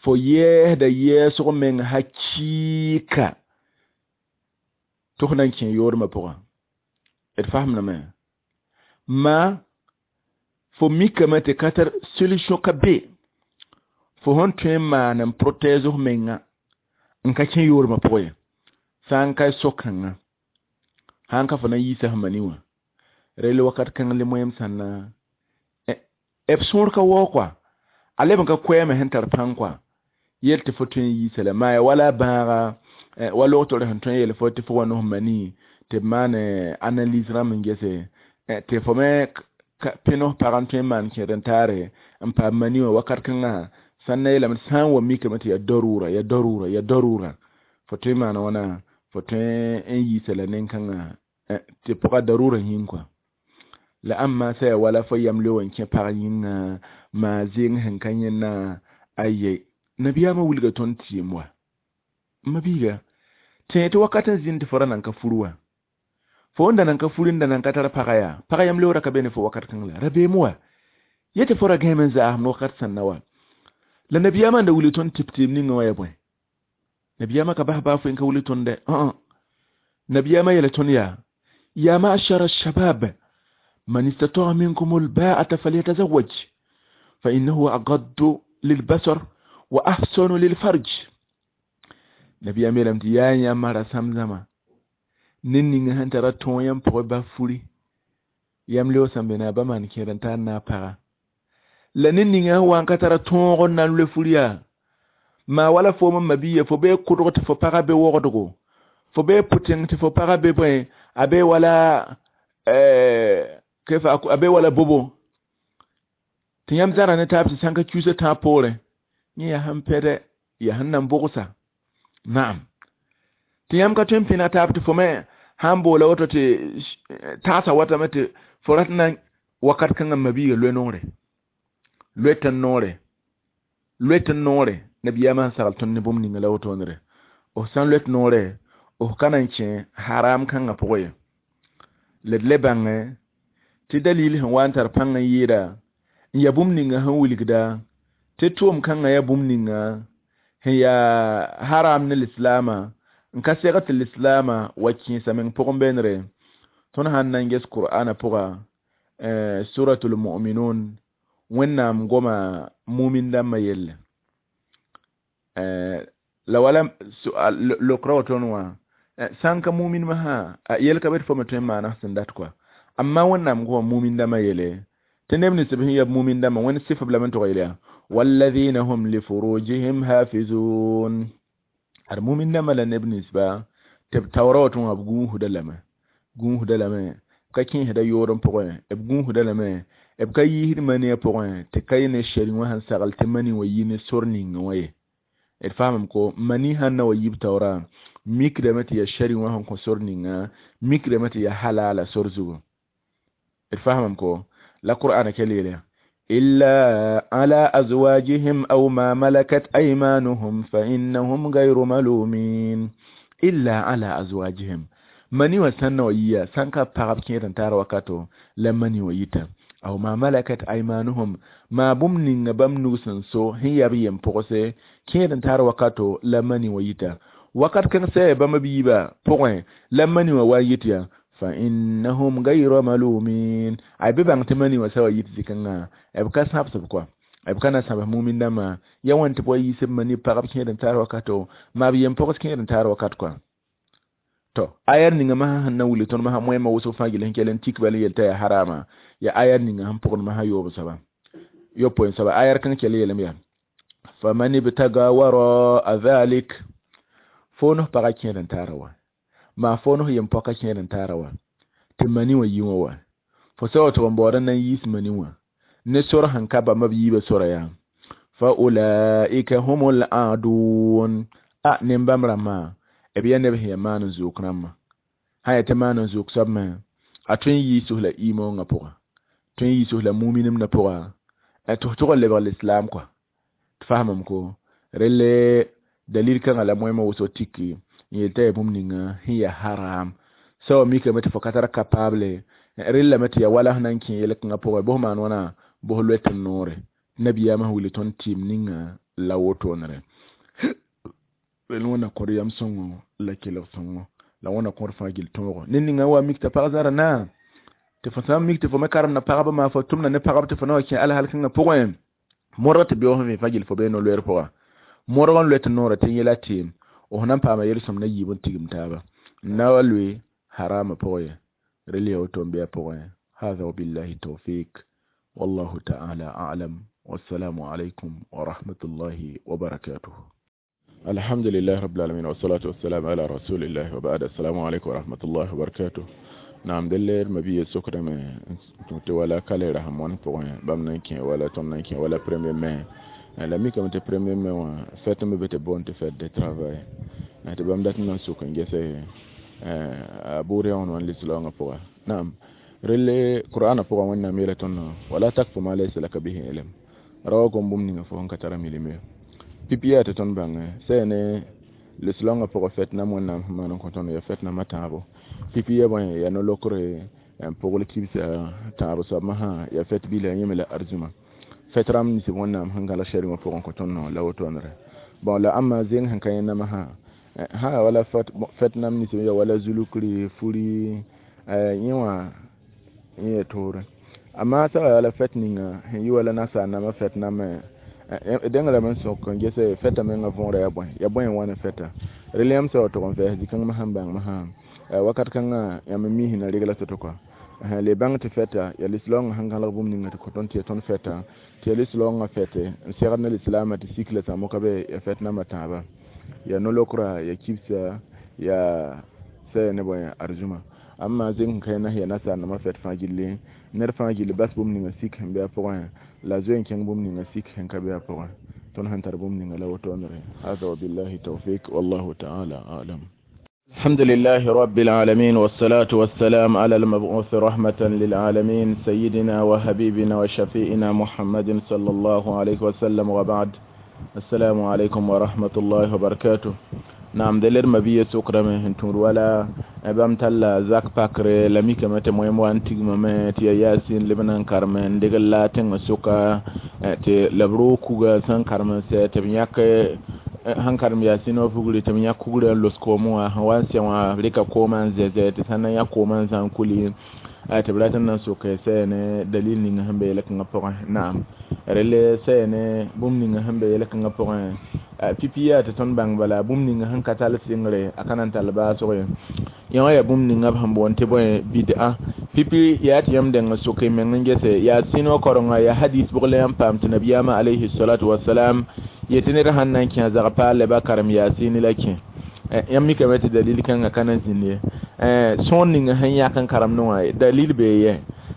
fo yɛɛsda yɛɛsg meng hakɩɩka tɩ f na n kẽ yoodmã pʋgã d faamdame ma fo mikame tɩ ka tar solution ka be fo sẽn tõe n maan n protège f menga n ka kẽ yoodmã pʋgẽ ye sã n ka so-kãngã sãn ka fo na n yiisa f mani wã rel wakat kãng le moem sãnna b sõor ka waoog kɔa a leb n ka koɛɛme sẽn tar pãng kɔa yel tɩ fo tõe n yiisa la maa ya wala bãaga wa logtore sẽn tõe n yel fo tɩ fo wa nos mani tɩ b maan analyse rãmb n gese tɩ fo me pẽ nos pag n tõe n maan kẽed n taare n paam mani wã wakat kãngã sãn na yeelame sã n wa mikame tɩ yaa darura yaa darura yaa darura fo tõe n maan wãna fo tõe n yiisa la nen-kãngã tɩ pʋga darura yĩng kɔa la ãmba sã yaa wala fo yam leo n kẽ pag yĩnga maa zeng sẽn ka yẽnna aye nabiyaamã wilga tõnd tɩɩm wa ma biiga tẽ tɩ wakat n zĩnd tɩ fo ra nan ka fur wa fo n da nan ka fur n da nan ka tar paga yaa pag yam leoora ka be ne fo wakat kãng la rabeem wa ye tɩ fo ra gãeme n zaasem wakat sãnna wa la nabiyaamã n da wilg tõnd tɩ tɩɩm ninga wã yaa bõe nabiyaamã ka bas baa fo n ka wilg tõnd dɛ nabiyaamã yeela tõnd yaa ya ma'shara shabab من استطاع منكم الباءة فليتزوج فإنه أغض للبصر وأحسن للفرج نبي أمير يا يا مرا سمزما نيني هن ترى تون يم بو بافوري يم لو سمبنا بمان كيرن تا نا para la ninninga wan ka tara tõog n na n loe fur yaa maa wala fo me mabiya fo bee kʋdg tɩ fo pagã be wogdgo fo bee pʋtẽng tɩ fo pagã be bõe a be wala kefa a be wala bobo tɩ yãmb zãra ne taab tɩ sãn ka kiusa tãab poorẽ yẽ yaa sẽn pɛdɛ yaa sẽn na n bogsa naam tɩ yãmb ka tõe n pẽneg taab tɩ fo me sãn boola woto tɩ tãasã watame tɩ fo rat na wakat kãngã mabiiga loe noore loe tɩ noore loe tɩ noore nabiyaamã sẽn sagl tõnd ne bũmb ninga la wotone f sã n loet noore f ka na n kẽ haram kãngã pʋgẽ ye la d le bãngẽ tɩ dalil sẽn wa n tar pãng n yɩɩda n yaa bũmb ninga sẽn wilgda tɩ tʋʋm kãngã yaa bũmb ninga sẽn yaa haram ne lislaamã n ka seg tɩ lislaamã wa kẽesa meng pʋgẽ beenre tõnd sãn na n ges qur'ana pʋga suratul mu'minun wẽnnaam goma mumin dãmbã yelle la wala lokra woton wã sã n ka mumin masã yel ka be tɩ fo me tõe n maana sẽn dat kɔa amma wẽnnaam goma mumin dãmbã yele tɩ neb nins b sẽn yaa mumin dãmbã wẽnd sɩf b lame n tog yel yaa walladhina hum lifurujihim hafizun ad mumin dãmbã la neb ninsba tɩ b taoora woto wã b gũusda lame gũusda lame b ka kẽesda yood n pʋgẽ b gũusda lame b ka yiisd mani a pʋgẽ tɩ ka yẽ ne shari wã sẽn sagl tɩ mani wã yi ne sor ninga wã ye d faamame ko mani sãn na wa yib taoora mikdame tɩ yaa shari wã sẽn kõ sor ninga mikdame tɩ yaa halala sor zugu d faamame ko la qur'ana kel yeela إلا على أزواجهم أو ما ملكت أيمانهم فإنهم غير ملومين إلا على أزواجهم mani wa sãn na wa yiya sãn ka pagb kẽed n taar wakato la mani wa yita aw ma malakat aymanuhum maa bũmb ninga bãmb nug sẽn so sẽn yaa b yem pʋgse kẽed n taar wakato la mani wa yita Wakat kãng sɛ bãmb b yiibã pʋgẽ la mani wã wa n yet yaa fa innahum gayra malumin. Ay bɩ bãng tɩ mani wã sa wa yit zĩ-kãngã b ka sãbsb kɔa b ka na sãbs mumin dãmbã ya wãn tɩ b wa yiis b mani pagb kẽed n taar wakato maa b yem-pogs kẽed n taar wakat kɔa to ayar ninga masã sẽn na wilg tõnd masã moẽmã wʋsg fãa gill sẽn kell n tik bal n yel t'a yaa harama ya ayar ninga sẽn pʋgd masã yoob soaba yopoe soaba ayar kãng kell yeelame yaa faman ibtaga waraa dhalik fo nos pagã kẽed n taara wa maa fo nos yem-poaka kẽed n taara wa tɩ mani wã yi wã wa fo sa wa tɩg n baood n na n yiis mani wã ne sor sẽn ka bãmba b yiibã sora yaa fa ulaika humul aadun a nen-bãmb rãmbã b yaa neb sẽn yaa maan n zook rãmbã sã yaa tɩ maan n zook soab me a tõe n yiis la iimoongã pʋga tõe n yiis la muminemdã pʋga tɩ f tʋg n lebg lislaam kɔa tɩ fasamame ko relle dalil kãngã la moẽmã wʋsg tiki n yel t'a yaa bũmb ninga sẽn yaa haram sa wa mikame tɩ fo ka tar capable rellame tɩ yaa wala sẽn na n kẽ yel-kãngã pʋgẽ bos maan wãna bos loet n noore nabiyaamã sẽn wilg tõnd tɩɩm ninga la wotoonre rel wẽnna kõd yam sõngo la kelg sõngo la wẽnna kõd fãa gill tõogo ned ninga n wa mik t'a pag zãra na tɩ fo sã n mik tɩ fo me karemda pagba maa fo tʋmda ne pagb tɩ fo na wa kẽ alhal kãngã pʋgẽ modg tɩ beoog sẽn vẽ fãa gill fo bee no-loɛɛr pʋga modg n loet noorã tɩ yẽla tɩɩm f na n paama yel-sõm na yiib n tigim taaba n na wa loe harama pʋgẽ ye rel yaa woto n bɩ a pʋgẽ hada wabillahi tawfik wallahu ta'ala a'lam wassalamu alaikum wa rahmatullahi wa barakatuh. الحمد لله رب العالمين والصلاة والسلام على رسول الله وبعد. السلام عليكم ورحمة الله وبركاته. نعم دلير مبي سكر ما ولا كالي رحمون بوين بام نانكي ولا تون نانكي ولا premier mai la mi kam te premier mai wa fête me bete bon te fête de travail na te bam dat nan sukan gese a bure on wan lislonga poa. Naam rele qur'ana poa wonna mela ton wala takfu ma laysa laka bihi ilm rawa gom bum ninga fo ka tara milime pipiya te ton bãng sɛne lislaongã pʋgã fɛt nam wẽnnaam sẽn maan n kõ tõnd ya fɛt namã tãabo pipi ya bõe ya no-lokre n pʋgl kibsa tãab soab masã ya fɛt bila yẽme la arzuma fɛt rãmb nins wẽnnaam sẽn gãlag sɛrengã pʋgẽ kõ tõnd no la wotoonre bon la ãmba zeng sẽn ka yẽ namã sã wala fɛt nam nins ya wala zulukri furi yẽ wã yẽ ya toore amma sã wala fɛt ninga sẽn yi wala nasaar namã fɛt namã dẽng lame n sõk n gese fɛta mengã võora ya bõe n wãn fɛta rel yãmb sã wa tʋg n vɛɛs zĩ-kãng masã n bãng masã wakat kãngã yãmb n miisẽ na regla to-to kɔa le bãng tɩ fɛta ya lislaoongã sẽn gãlg bũmb ninga tɩ kõ tõnd tɩ ya tõnd fɛta tɩ ya lislaoongã fɛte n segd ne lislaamã tɩ sik la sãmo ka be ya fɛt namã tãaba ya no-lokra ya kibsa ya sɛ ne bõe arzuma amma zeng sẽn ka yẽ ya nasaar nãmã fɛt fãa gilli ned fãa gilli bas bũmb ninga sik sẽn be a pʋgẽ la zoe n kẽng bũmb ninga sik sẽn ka be a pʋgẽ tõnd sẽn tar bũmb ninga la wotoonre hada wabillahi tawfik wallahu ta'ala a'lam. الحمد لله رب العالمين والصلاة والسلام على المبعوث رحمة للعالمين سيدنا وحبيبنا وشفيئنا محمد صلى الله عليه وسلم وبعد. السلام عليكم ورحمة الله وبركاته. نعم دلر مبيه سكرمه هنتور ولا بام تلا زاك باكر لمي كما تمويم وان تيغما ما تي ياسين لبنان كارمن دغ لا تن سوكا تي لبرو كوغا سان كارمن سي تبنياك han karim yasin wa fuguri tam ya kugure los komo ha wan se wa rika koma zeze te sanan ya koma zan kuli a tabratan nan so kai sai ne dalil ni han be lak nga pora na'am rele sai ne bum ni han be lak nga pora pipiya te ton bang bala bum ni han katal singre akanan talba so ya ya bum ni ngab han bon te boy bid'a pipi ya ti yam den so kai men ngese ya sino koronga ya hadis bugle yam pam tinabiyama alayhi salatu wassalam yetɩ ned sãn na n kẽ a zag paal ba karem yaasɩ la kẽ yãmb mikame tɩ dalil kãngã ka na n zĩnd ye sõor ninga sẽn yãk n karemdẽ wã dalil bee yɛ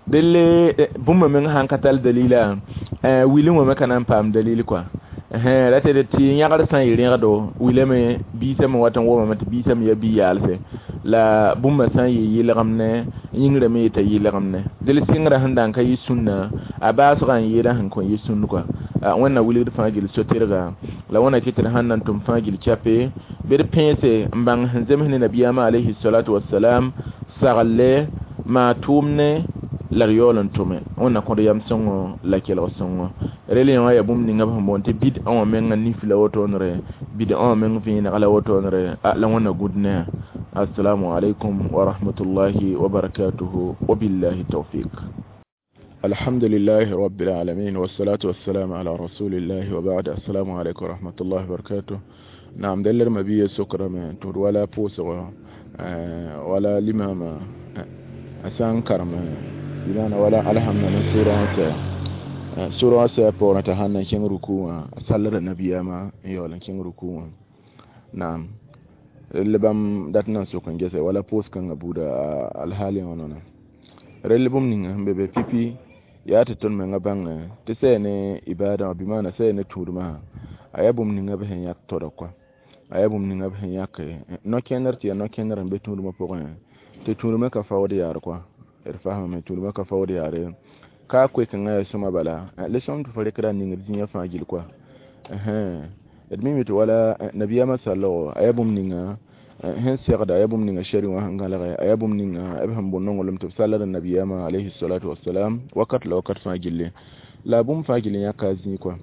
delle bũmba meng sãn ka tall dalila wilẽ wã me ka na n paam dalil kɔa ra tɩ tɩ yãgd sã n yɩ rẽgdo wilame biisame wat n womame tɩ biisame ya bi-yaalse la bũmba sã n yɩ yɩlgemne yĩngrã me yeta yɩlgemne del sɩngrã sẽn da n ka yɩ sũnna a baasgã n yɩɩda sẽn kõn yɩ sũnd kɔa wẽnna wilgd fãa gil so-tɩrga la wẽnna kɩ tɩ d sãn na n tʋm fãa gil chape bɩ d pẽese n bãng sẽn zems ne nabiyaamã alayhi salatu wasalam saglle maa tʋʋmne la d yaool n tʋme wẽnna kõd yam sõngo la kelg sõngo Rel yã yaa bũmb ninga b sẽn boond tɩ bid'a wã menga nif la wotone bid'a wã meng vẽeneg la wotone la wẽnna gũd ne a. Assalamu alaikum wa rahmatullahi wa barakatuhu wa billahi tawfiq. Alhamdulillahi rabbil alamin wassalatu wassalamu ala rasulillahi wa ba'd. Assalamu alaikum wa rahmatullahi wa barakatuh. Naam, dẽl d mabiya sokrame tɩ d wala pʋʋsgo wala limama a sã n karem bɩmaana wala alhamda ne sʋʋrã wã sɛ sʋʋrã wã sɛ pʋgẽ t'a sãn na n kẽng ruku wã a sallda nabiyaamã n yaool n kẽng ruku wã. Naam, rel bãmb dat n na n sok n gese wala pʋʋs-kãngã buuda alhaali wã noona rel bũmb ninga sẽn be be pipi yaa tɩ tõnd menga bãng tɩ sɛ ne ibada wã bɩ maana sɛ ne tũudmã a yaa bũmb ninga b sẽn yãk toda kɔa a yaa bũmb ninga b sẽn yãk no-kẽnder tɩ yaa no-kẽnder n be tũudmã pʋgẽ tɩ tũudmã ka faood yaar kɔa d fasamame tũudmã ka faood yaare ka koe-kãngã yaa sõma bala le sõm tɩ fo rekda n ningd zĩigã fãa gill kɔa d mime tɩ wala nabiyaamã sallgo a yaa bũmb ninga sẽn segda a yaa bũmb ninga shari wã sẽn gãlge a yaa bũmb ninga b sẽn bʋ nonglem tɩ b sallda nabiyaamã alayhi salatu wasalam wakat la wakat fãa gilli la bũmb fãa gill yãka a zĩig kɔa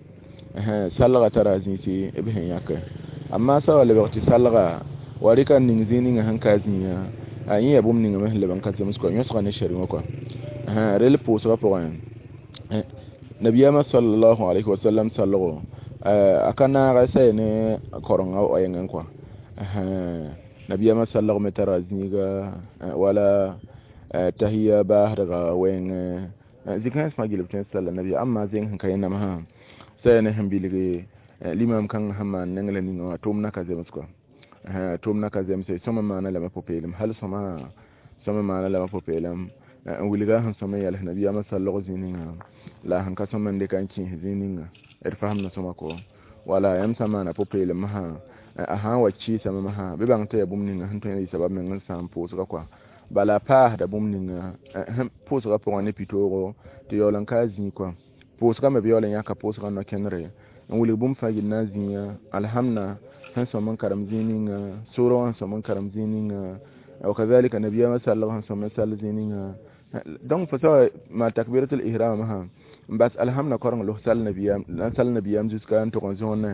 salga tara a zĩisi b sẽn yãke amma sa wa lebg tɩ salga wa rɩka n ning zĩig ninga sẽn ka a zĩigã a yẽ yaa bũmb ninga me sẽn leb n ka zems kɔa yõsga ne shari wã kɔa rel pʋʋsgã pʋgẽ nabiyaamã sallallahu alayhi wa sallam sallgo a ka naag sɛ ne korenga wẽngẽ kɔa nabiyaamã sallg me tara zĩiga wala tahiya baasdga wẽngẽ zĩ-kãens fãa gill b tõe n salla nabiya amma zẽng sẽn ka yẽ namsã sɛ ne sẽn bilge limam kãngã sẽn maan neng la ninga wã tʋʋmdã ka zems kɔa tʋʋmdã ka zemse sõma maana lame pʋ-peelem hal sõma sõma maana lame pʋ-peelem n wilga sẽn sõm n yɛls nabiyaamã sallg zĩig ninga la sẽn ka sõm n dɩka n kẽes zĩig ninga d fasamda sõma ko wala yãmb sã n maana pʋ-peelem masã a sã n wa kɩɩsame masã bɩ bãng tɩ yaa bũmb ninga sẽn tõe n yɩ sabab meng n sãam pʋʋsgã kɔa bala paasda bũmb ninga pʋʋsgã pʋgẽ ne pitoogo tɩ yaool n ka a zĩig kɔa pʋʋsgã me b yaool n yãka pʋʋsgã no-kẽndre n wilg bũmb fãa gill na n zĩiga alhamda sẽn sõm n karem zĩig ninga sʋʋrã wã sẽn sõm n karem zĩig ninga wakazalika nabiyaamã sallg sẽn sõm n sall zĩig ninga donc fo sa maan takbiratul ihram masã n bas alhamda koreng los sall nabiyaam n sall nabiyaam jusqu'à n tʋg n zõonẽ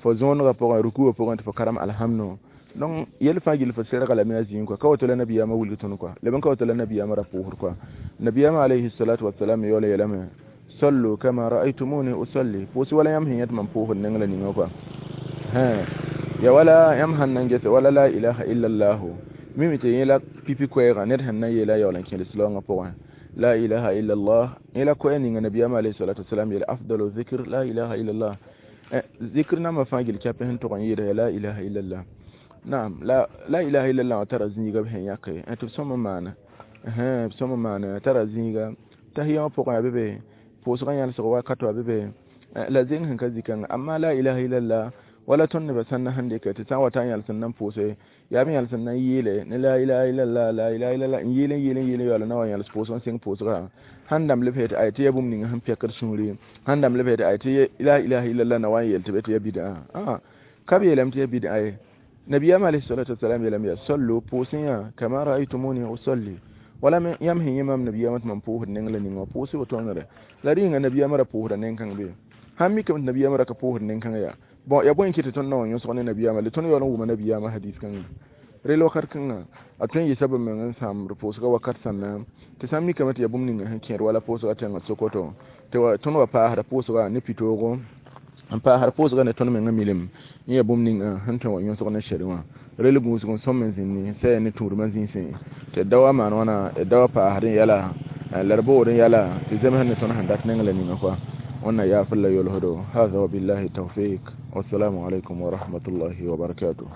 fo zõonegã pʋgẽ rukuwã pʋgẽ tɩ fo karem alhamdo donc yel fãa gill fo serga lame a zĩig kɔa ka woto la nabiyaamã wilg tõnd kɔa leb n ka woto la nabiyaamã ra pʋʋsd kɔa nabiyaamã alayhi salatu wasalam yaoola yeelame sallu kama ra'aytumuni usalli pʋʋs wala yãmb sẽn yẽt mam pʋʋsd neng la ninga kɔa ya wala yãmb sãn na n gese wala la ilaha illallah mimi tɩ yẽ la pipi koɛɛgã ned sẽn na n yeela yaool n kẽed slaoongã pʋgẽ la ilaha illallah yẽ la koɛɛ ninga nabiyaamã alayhi salatu wasalam yeele afdalu zikr la ilaha illallah zikr nambã fãa gill kɛpẽ sẽn tʋg n yɩɩda la ilaha illallah naam la la ilaha illallah wã tara zĩiga b sẽn yãke tɩ b sõm n maana b sõm n maana tara zĩiga tahiya wã pʋgẽ a be be pʋʋsgã yãlsg wakato a be be la zẽng sẽn ka zĩ-kãnga amma la ilaha illallah wala tõnd nebã sãn na sẽn dɩkɛ tɩ sã n wa ta n yãls n na n pʋʋse yaa b yãls n na n yeele ne la ilaha illallah la ilaha illallah n yeel n yeel n yeel n yaool na wa yãls pʋʋsg n sẽng pʋʋsgã sãn dãmb leb tɩ ay tɩ yaa bũmb ninga sẽn pɛkd sũuri sãn dãmb leb tɩ ay tɩ la ilaha illallah na wa n yeel tɩ be tɩ yaa bid'a ka b yeelame tɩ yaa bid'a ye nabiyaam alayhi salatu wasalam yeelame yaa sallu pʋʋsẽ yã kama ra'aytumuni usalli wala yãmb sẽn yẽ mam nabiyaamã tɩ mam pʋʋsd neng la ninga wã pʋʋsɩ wotõnere la rɩnga nabiyaamã ra pʋʋsda neng-kãng be sãn mikame tɩ nabiyaamã ra ka pʋʋsd neng-kãng yaa bon ya bõe n kɩ tɩ tõnd na wa yõsg ne nabiyaamã le tõnd yaool n wʋma nabiyaamã hadis kãngã rel wakat kãngã a tõe n yɩ sabab meng n sãamd pʋʋsgã wakat sãnna tɩ sã n mikame tɩ yaa bũmb ninga sẽn kẽed wala pʋʋsgã tẽngã sokoto tɩ tõnd wa paasda pʋʋsgã ne pitoogo n paasd pʋʋsgã ne tõnd mengã milim n yaa bũmb ninga sẽn tõe wa yõsg ne shari wã rel gũusg n sõm n zĩndi sɛ ne tũudmã zĩisẽ tɩ d da wa maan wãna d da wa paasd n yɛla la d bood n yɛla tɩ zemsd ne tõnd sẽn dat neng la ninga kɔa wannan ya fulla yolhodo هذا وبالله التوفيق والسلام عليكم ورحمة الله وبركاته.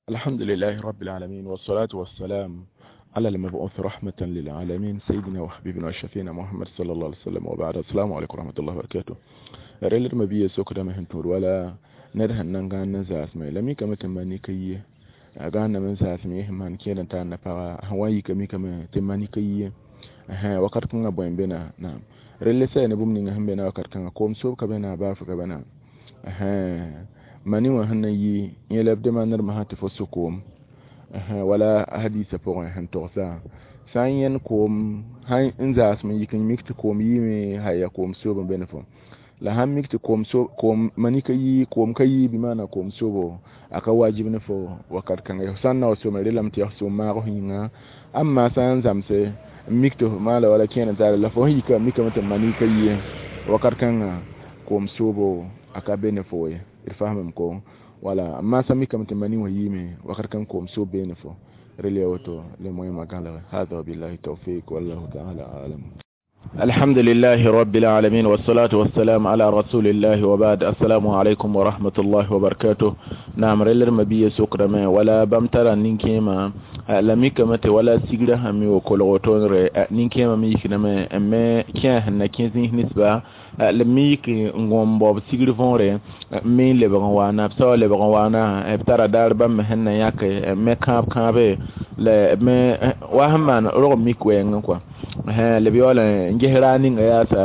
الحمد لله رب العالمين والصلاة والسلام على المبعوث رحمة للعالمين سيدنا وحبيبنا وشفينا محمد صلى الله عليه وسلم وبعد. السلام عليكم ورحمة الله وبركاته. ريل مبيه سوكدا مهنتور ولا ندهن نغان نزاس مي لمي كما تماني كي غان من ساس مي man kedan ta na pa hawaii kami kama temani kai ha wakat kunga boyen bena na relle sɛ ne bũmb ninga sẽn be na wakat kãnga koom soob ka be na baafr ka be na mani wã sẽn na yi yẽ la b demandr masã tɩ fo so koom wala hadisa pʋgẽ sẽn togsa sã n yẽnd koom sã n zaasem n yik n mik tɩ koom yiime haya koom soob n be ne fo La sãn mik tɩ koom mani ka yi, koom ka yi, bɩ maana koom sobo a ka wajib ne fo wakat kãnga. F sã n na wa soame relame tɩ yaa f soom maag f yĩnga. Amma sã n zãmse n mik tɩ f maala wala kẽer n taare la fo sẽn yika mikame tɩ mani ka yi wakat kãnga koom soobo a ka be ne fo ye. D faamame ko wala amma sã mikame tɩ mani wã yiime wakat kãng koom soob bee ne fo rel ya woto le moyẽmã gãlege. Hada wabillahi tawfik wallahu taala alam. الحمد لله رب العالمين والصلاة والسلام على رسول الله وبعد. السلام عليكم ورحمة الله وبركاته. نعم رلر مبيه سكرمه ولا بمترى نينكيما لميكمت ولا سيغرا همي وكولغوتون ري نينكيما ميكنما ما كان نكيزين نسبة لميك ngom bob sigri võore me lebg n waana b sao lebg n waana b tara daar bãmb sẽn na yãke me kãab kãabe la me wa sẽn maan rog mik wɛɛngẽ kɔa lb yaool n ges raa ninga yaasa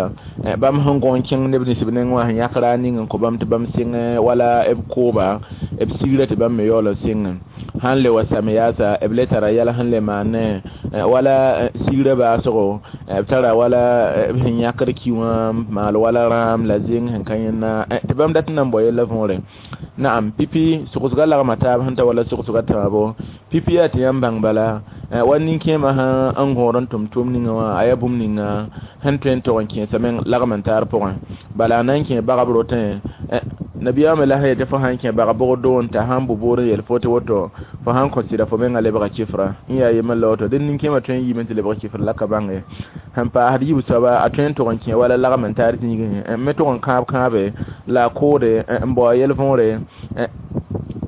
bãmb sẽn gõ n kẽng neb nins b neng wã sẽn yãk raa ning n kõ bãmb tɩ bãmb sɩng wala b kooba b sigra tɩ bãmb me yaool n sɩngẽ sãn le wa same yaasa b le tara yɛl sẽn le maane wala sigra baasgo b tara wala b sẽn yãkd ki wã maal wala rãam la zeng sẽn ka yẽnna tɩ bãmb dat n na n bao yella võore. Naam pipi sogsga lagma taab sẽn ta wala sogsga tãabo pipi yaa tɩ yãmb bãng bala wa nin-kẽemã sã n gõod n tʋm tʋʋm ninga wã a yaa bũmb ninga sẽn tõe n tog n kẽesa meng lagm n taar pʋgẽ bala a na n kẽ bagb rotẽ nabiyaamã la sã yetɩ fo sãn kẽ bag bʋgd doon t'a sãn bʋ boor n yel fo tɩ woto fo sãn kõ sɩda fo menga lebga kifra n yaa yembr la woto dẽn nin-kẽemã tõe n yiime tɩ lebg kifr la ka bãnge sẽn paasd yiib soaba a tõe n tog n kẽ wala lagm n taar zĩigẽ me tog n kãab kãabe la a koode n bao a yɛl võore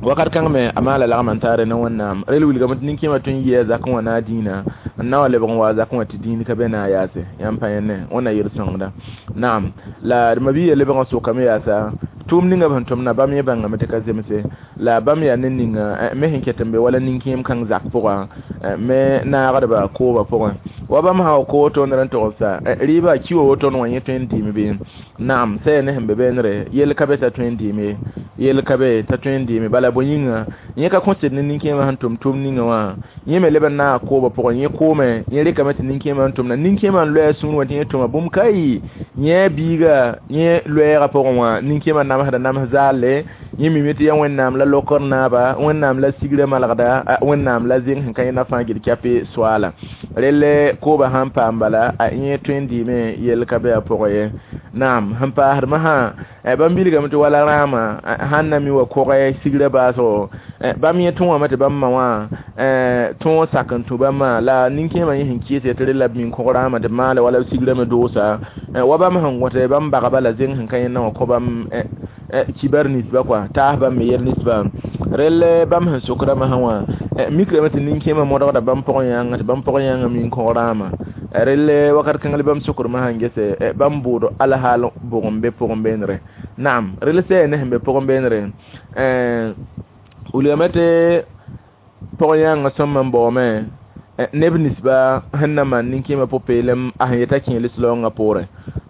wakat kãng me a maala lagm n taare ne Wẽnnaam rel wilgame tɩ nin-kẽemã tõe n yɩa zakẽ wã na a dĩinã n na wa lebg n wa zakẽ wã tɩ dĩin ka be na a yaase yãmb pa yẽne wẽnna yel-sõngda. Naam la d mabiya lebg n sokame yaasa tʋʋm ninga b sẽn tʋmna bãmb yẽ bãngame tɩ ka zemse la bãmb yaa ned ninga me sẽn ket n be wala nin-kẽem kãng zak pʋga me naagdba kooba pʋgẽ wa bãmb sã wa koog toondr n togsa rɩɩbã ki wa woto wã yẽ tõe n dɩɩm bɩ. Naam sã yaa ne sẽn be beenre yell ka be t'a tõe n dɩɩme yell ka be t'a tõe n dɩɩme bala bõe yĩnga yẽ ka kõsd ne nin-kẽemã sẽn tʋm tʋʋm ninga wã yẽ me leb n naag kooba pʋgẽ yẽ koome yẽ rɩkame tɩ nin-kẽemã n tʋmna nin-kẽemã n loɛɛ sũur wã tɩ yẽ tʋma bũmb ka yɩ yẽ biiga yẽ loɛɛgã pʋgẽ wã nin-kẽemã namsda nams zaalle yẽ mime tɩ yaa Wẽnnaam la lokr naaba Wẽnnaam la sigrã malgda Wẽnnaam la zeng sẽn ka yẽna fãa gil kɛpɩ soaala relle kooba sãn paam bala a yẽ tõe n dɩɩme yell ka be a pʋgẽ ye. Naam sẽn paasdmã sã bãmb bilgame tɩ wala rãamã sãn na mi wa kogɛ sigrã baasgo bãmb yẽ tõogame tɩ bãmb ma wã tõog sak n tũ bãmbã la nin-kẽemã yẽ sẽn kɩɩs tɩ rela b min kog rãamã tɩ b maale wala b sigrã me doosa wa bãmb sẽn gõte bãmb bagba la zeng sẽn ka yẽnna wã kõ bãmb kibar nisba kɔa taas bãmb me yɛl nisba rel bãmb sẽn sokra masã wã mikrame tɩ nin-kẽemã modgda bãmb pʋgẽ yãnga tɩ bãmb pʋgẽ yãnga min kog rãamã rel wakat kãng la bãmb sokr masã n gese bãmb bʋʋd alhaal bʋg n be pʋgẽ beenre. Naam rel sã yaa ne sẽn be pʋgẽ beenre wilgame tɩ pʋgẽ yãnga sõm n baoome neb ninsba sẽn na maan nin-kẽemã pʋ-peelem a sẽn yeta kẽ lislaoongã poorẽ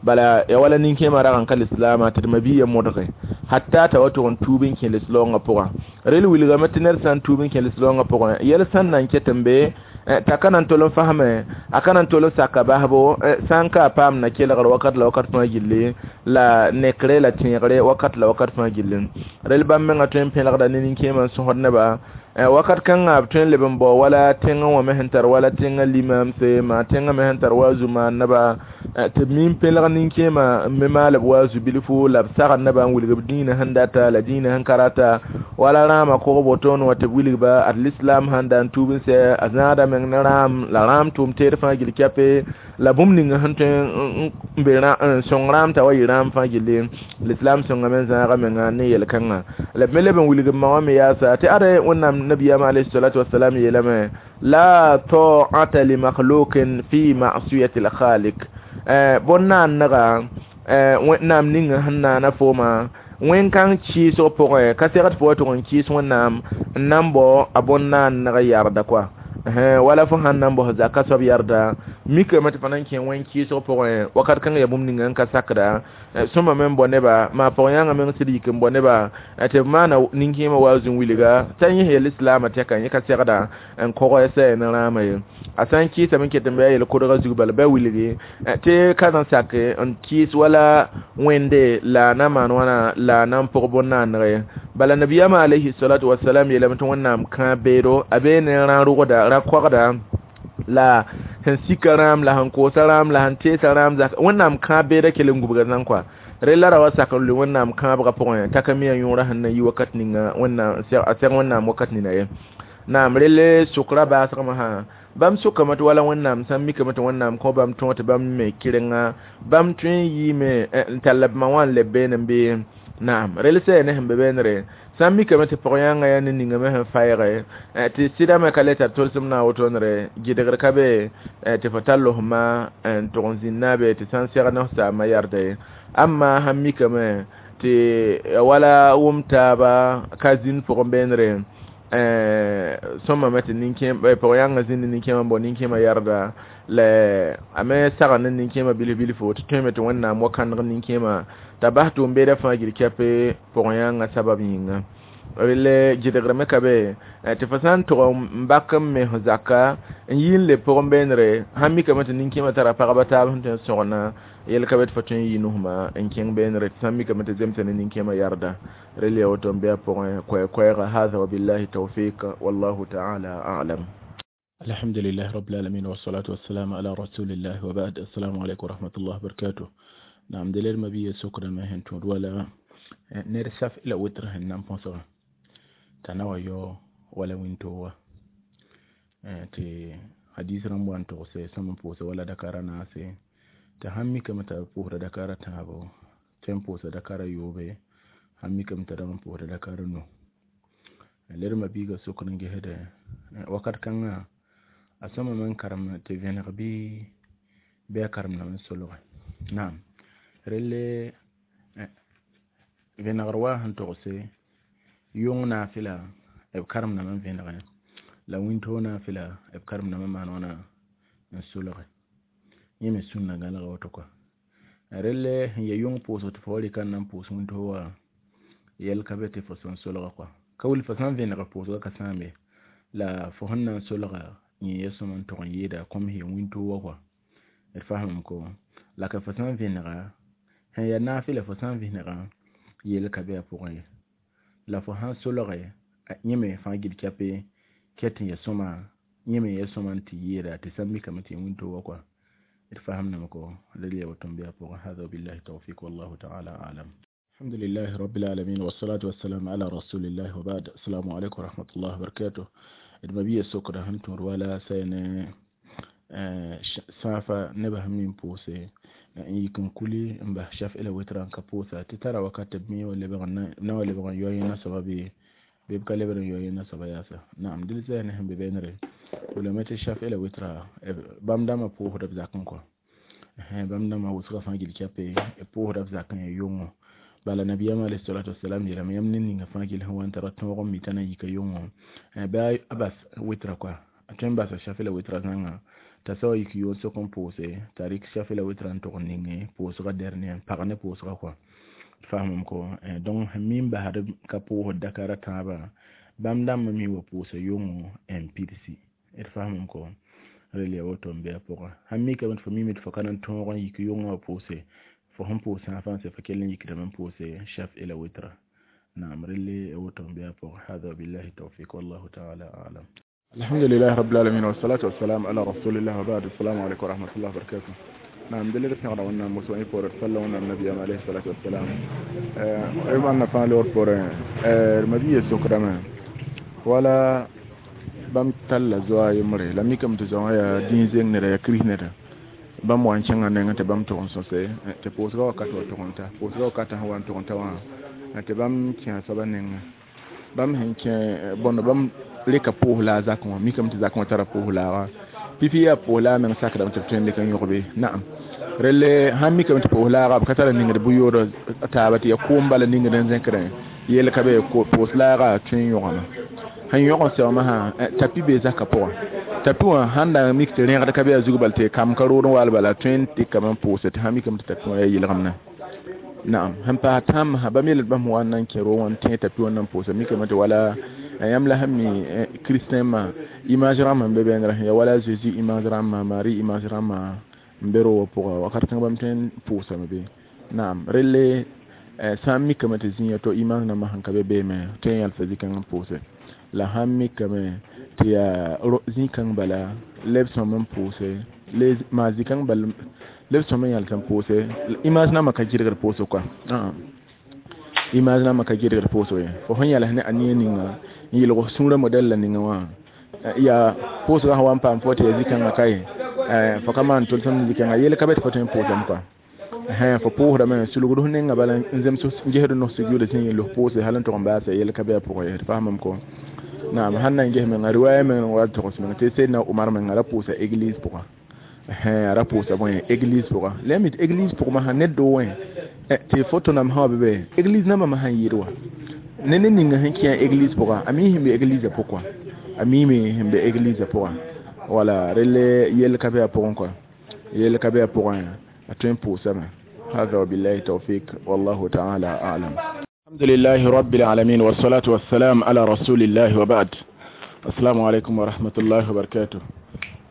bala ya wala nin-kẽemã rag n ka lislaamã tɩ d mabiiya modge hatta t'a wa tʋg n tuub n kẽ lislaoongã pʋgã rel wilgame tɩ ned sã n tuub n kẽ lislaoongã pʋgẽ yɛl sẽn na n ket n be t'a ka na n tol n fasme a ka na n tol n saka basbo sã n ka a paam na kelgr wakat la wakat fãa gilli la nekre la tẽegre wakat la wakat fãa gilli rel bãmb menga tõe n pẽlgda ne nin-kẽemã n sõsd neba wakat kãngã b tõe n leb n bao wala tẽngã wã me sẽn tar wala tẽngã limamse maa tẽngã me sẽn tar wa zu-maanneba tɩ b min pẽlg nin-kẽemã n me maal b wa zu-bilfu la b sagd nebã n wilg b dĩinã sẽn data la dĩinã sẽn ka rata wala rãamã kog wotoon wã tɩ b wilgba ad lislam sãn da n tuub n sɛ a zãada meng ne rãam la rãam tʋʋm teed fãa gil kɛpe la bũmb ning sẽn tõe n be n sõng rãam t'a wa yɩ rãam fãa gilli lislam sõngame n zãaga menga ne yel-kãngã la b me leb n wilg b ma wã me yaasa tɩ ade Wẽnnaam nabiyama alayhi salatu wassalam yeelame la ta'ata li makhluqin fi ma'siyati al-khaliq bõn-naannega Wẽnnaam ning sẽn naana fooma wẽn-kãng kɩɩsg pʋgẽ ka segd fo wa tʋg n kɩɩs Wẽnnaam n na n bao a bõn-naanneg yarda kɔa Wala fo sãn na n bos zaka soab yarda mikame tɩ fo na n kẽ wẽn-kɩɩsg pʋgẽ wakat kãng ya bũmb ninga n ka sakda sõma me n bao neba maa pʋg-yãngã meng sɩd yik n bao neba tɩ b maana nin-kẽemã wa zũn-wilga t'a yẽs yel islaamã tɛka yẽ ka segda n kog sɛ ne rãamã ye a sã n kɩɩsame n ket n bɩ a yel-kodgã zug bala bɩ wilgi tɩ ka na n sak n kɩɩs wala wẽnde la a na maan wãna la a na n pʋg bõn-naaneg bala nabiyaamã alayhi salatu wasalam yeelame tɩ wẽnnaam kãab beedo a bee ne rã-rʋgda rã-koagda la sẽn sika rãam la sẽn koosa rãam la sẽn teesa rãam zak wẽnnaam kãab beeda kell n gubga zãng kɔa rella ra wa sak n lʋɩ wẽnnaam kãabgã pʋgẽ t'a ka mi a yõorã sẽn na yi wakat ninga wẽnnaam a seg wẽnnaam wakat nina ye naam relle sʋkra baasgmã sã bãmb sʋkame tɩ wala wẽnnaam sã n mikame tɩ wẽnnaam kõ bãmb tõog tɩ bãmb me kɩrenga bãmb tõe n yiime n tall b ma wã n leb beene n bee naam rel sɛ ne sẽn be beenre sã n mikame tɩ pʋg-yãngã yaa ne ningame sẽn faɛɛge tɩ sɩdame ka le tar tolsem na a wotone gɩdgr ka be tɩ fo tall f ma n tʋg n zĩnd naabe tɩ sã n seg ne f saamã yarda ye amma sãn mikame tɩ wala wʋm taaba ka zĩnd pʋgẽ beenre sõmame tɩ pʋg-yãngã zĩnd ne nin-kẽemã n bao nin-kẽemã yarda la a me sagn ne nin-kẽemã bilf-bilfo tɩ tõeme tɩ wẽnnaam wa kãneg nin-kẽemã t'a bas tʋʋm-beedã fãa gil kɛpe pʋg-yãngã sabab yĩnga relle gɩdgrame ka be tɩ fo sã n tʋg n bak n me f zaka n yi n leb pʋgẽ beenre sãn mikame tɩ nin-kẽemã tara pagba taab sẽn tõe n sõgna yel ka be tɩ fo tõe n yi nusmã n kẽng beenre tɩ sã n mikame tɩ zemsa ne nin-kẽemã yarda rel ya woto n be a pʋgẽ koɛɛ-koɛɛga hada wabillahi tawfiq wallahu taala a'lam. الحمد لله رب العالمين والصلاة والسلام على رسول الله وبعد السلام عليكم ورحمة الله وبركاته. نعم دليل ما بيه سكر ما هن تود ولا نير شاف إلى وتر هن نام بونسوا تناوى يو ولا وينتوا تي حديث رموان توسي سمن بوسي ولا دكارا ناسي تهمي كما تبوه دكارا تابو تم بوسي دكارا يوبي همي كما تدام بوه دكارا نو لير ما بيغا سكر نجهد وقت كان a sõma me n karem tɩ vẽneg bɩ a karemdame n solge naam relle vẽnegr wa sẽn togse yʋng naafɩla b karemdame n vẽnege la wĩntoog naafɩla b karemdame n maan wãna n solge yẽ me sũnna gãlega woto kɔa relle sẽn ya yʋng pʋʋsg tɩ fo wa rɩka n na n pʋʋs wĩntoog wã yɛl ka be tɩ fo sẽn solga kɔa ka wil fo sã n vẽneg pʋʋsga ka sãambe la fo sẽn na n solga yẽ ya sõma n tʋg n yeeda kõm sẽn wĩntoog wã kɔa d fasamame ko la ka fo sã n vẽnega sẽn ya naafɩla fo sã n vẽnega yel ka be a pʋgẽ ye la fo sã n solge yẽ me fãa gil kɛpe ket n ya sõma yẽ me ya sõma n tɩ yeeda tɩ sã n mikame tɩ ya wĩntoog wã kɔa d fasamdame ko la ya woto n be a pʋgẽ hada wabillahi tawfiq wallahu taala alam. الحمد لله رب العالمين والصلاة والسلام على رسول الله وبعد السلام عليكم ورحمة الله وبركاته. D mabia sokda sẽn tõod wala sɛ ne sãafa nebã sẽn mi n pʋʋse n yik n kuli n bas shaf la witra n ka pʋʋsa tɩ tara wakat tɩ b mi wa lebg na wa lebg n yao yẽ nasoaba bɩ b ka lebd n yao yẽ nasoaba yaasa naam dɩl zɛɛ ne sẽn be beenre wilame tɩ shaf la witra bãmb dãmbã pʋʋsda b zakẽ kɔa bãmb dãmbã wʋsgã fãa gil kɛpe pʋʋsda b zakẽ ya yʋngo bala nabiyama alayhi salatu wassalam yeelame yãmb ned ninga fãa gill sẽn wa n tara tõog n mi t'a na n yika yʋngo bɩ a bas witra kɔa a tõe n basa shafi la witra zãnga t'a sa wa yik yoon sok n pʋʋse t'a rɩk shafi la witra n tʋg n ninge pʋʋsgã dernier n pag ne pʋʋsgã kɔa fasamame ko donc sẽn mi n basd ka pʋʋsd dakara tãabã bãmb dãmbã mi wa pʋʋsa yʋngo n pidsi d fasamame ko rel ya woto n be a pʋgã sãn mikame tɩ fo mime tɩ fo ka na n tõog n yik yʋngã wa pʋʋse fo sẽn pʋʋs sã fãa sã fo kell n yikdame n pʋʋse shaf ila witra naam relle woto n be a pʋgã hada wabillahi tawfiq wallahu taala alam. الحمد لله رب العالمين والصلاة والسلام على رسول الله وبعد السلام عليكم ورحمة الله وبركاته. نعم دليل سنغرا وانا مسوين فور صلى وانا النبي عليه الصلاة والسلام ايما أن فان لور فور المبي سكرما ولا بام تلا زوا يمري لم يكم تزوا يا دين زين نرى يا كريه نرى bãmb wa n kẽngã nengẽ tɩ bãmb tʋg n sõse tɩ pʋʋsgã wakat wa tʋg n ta pʋʋsgã wakatã sẽn wa n tʋg n ta wã tɩ bãmb kẽa soabã nengẽ bãmb sẽn kẽ bõnd bãmb rɩka pʋʋs la a zakẽ wã mikame tɩ zakẽ wã tara pʋʋs laaga pipi yaa pʋʋs la a meng sakdame tɩ b tõe n dɩk n yõgbe naam relle sãn mikame tɩ pʋʋs laaga b ka tara ningd bʋ-yood taaba tɩ ya kʋʋm bala ningd n zẽkrẽ yel ka be pʋʋs laaga tõe n yõgame Sẽn yõg n sɛoomã sã tapi bee zaka pʋgã tapi wã sãn da mik tɩ rẽgd ka be a zug bal tɩ kam ka rood n waal bala tõe n dɩkame n pʋʋse tɩ sã mikame tɩ tapi wã yaa yɩlgemdã. Naam, sẽn paas tãambã bãmb yeel bãmb wa n na n kẽ roog wã n tẽ tapi wã n na n pʋʋsa mikame tɩ wala yãmb la sẽn mi kristɛnmã image rãmbã n be bẽndrã ya wala Zeezi image rãmbã, Mari image rãmbã n be roogã pʋga wakat kãng bãmb tõe n pʋʋsame be. Naam, relle sã n mikame tɩ zĩ to image nambã sẽn ka be beeme tõe n yãlsa zĩ-kãng n pʋʋse. La sãn mikame tɩ yaa zĩ-kãng bala leb sõm n pʋʋse maa zĩ-kãng bal leb sõm n yãls n pʋʋse image nambã ka gɩdgd pʋʋsg kɔa, image nambã ka gɩdgd pʋʋsg ye. Fo sẽn yãls ne a nia ninga n yelg f sũurã modɛl la ninga wã yaa pʋʋsgã sẽn wa n paam fo tɩ yaa zĩ-kãngã ka ye fo ka maan tʋlsem zĩ-kãngã yel ka be tɩ fo tõe n pʋʋsame kɔa. Fo pʋʋsdame sulgd f nenga bala n zems n gesd nos sujuuda sẽn yel f pʋʋse hal n tʋg n baasa yel ka be a pʋgã ye. D faamame ko. Naam, sãn na n ges menga riwaya meng wa togs meng tɩ Seydna Umar menga ra pʋʋsa église pʋga, a ra pʋʋsa bõe église pʋga. La ya mi tɩ église pʋgẽ masã ned doo wẽ tɩ foto nam sã wa be be église nambã masã n yɩɩd wa ne ned ninga sẽn kẽ église pʋga a mi sẽn be église pʋgã, a miime sẽn be église pʋgã. Wala relle yel ka be a pʋgẽ kɔa, yel ka be a pʋgẽ a tõe n pʋʋsame. هذا وبالله التوفيق والله تعالى أعلم. الحمد لله رب العالمين والصلاة والسلام على رسول الله وبعد. السلام عليكم ورحمة الله وبركاته.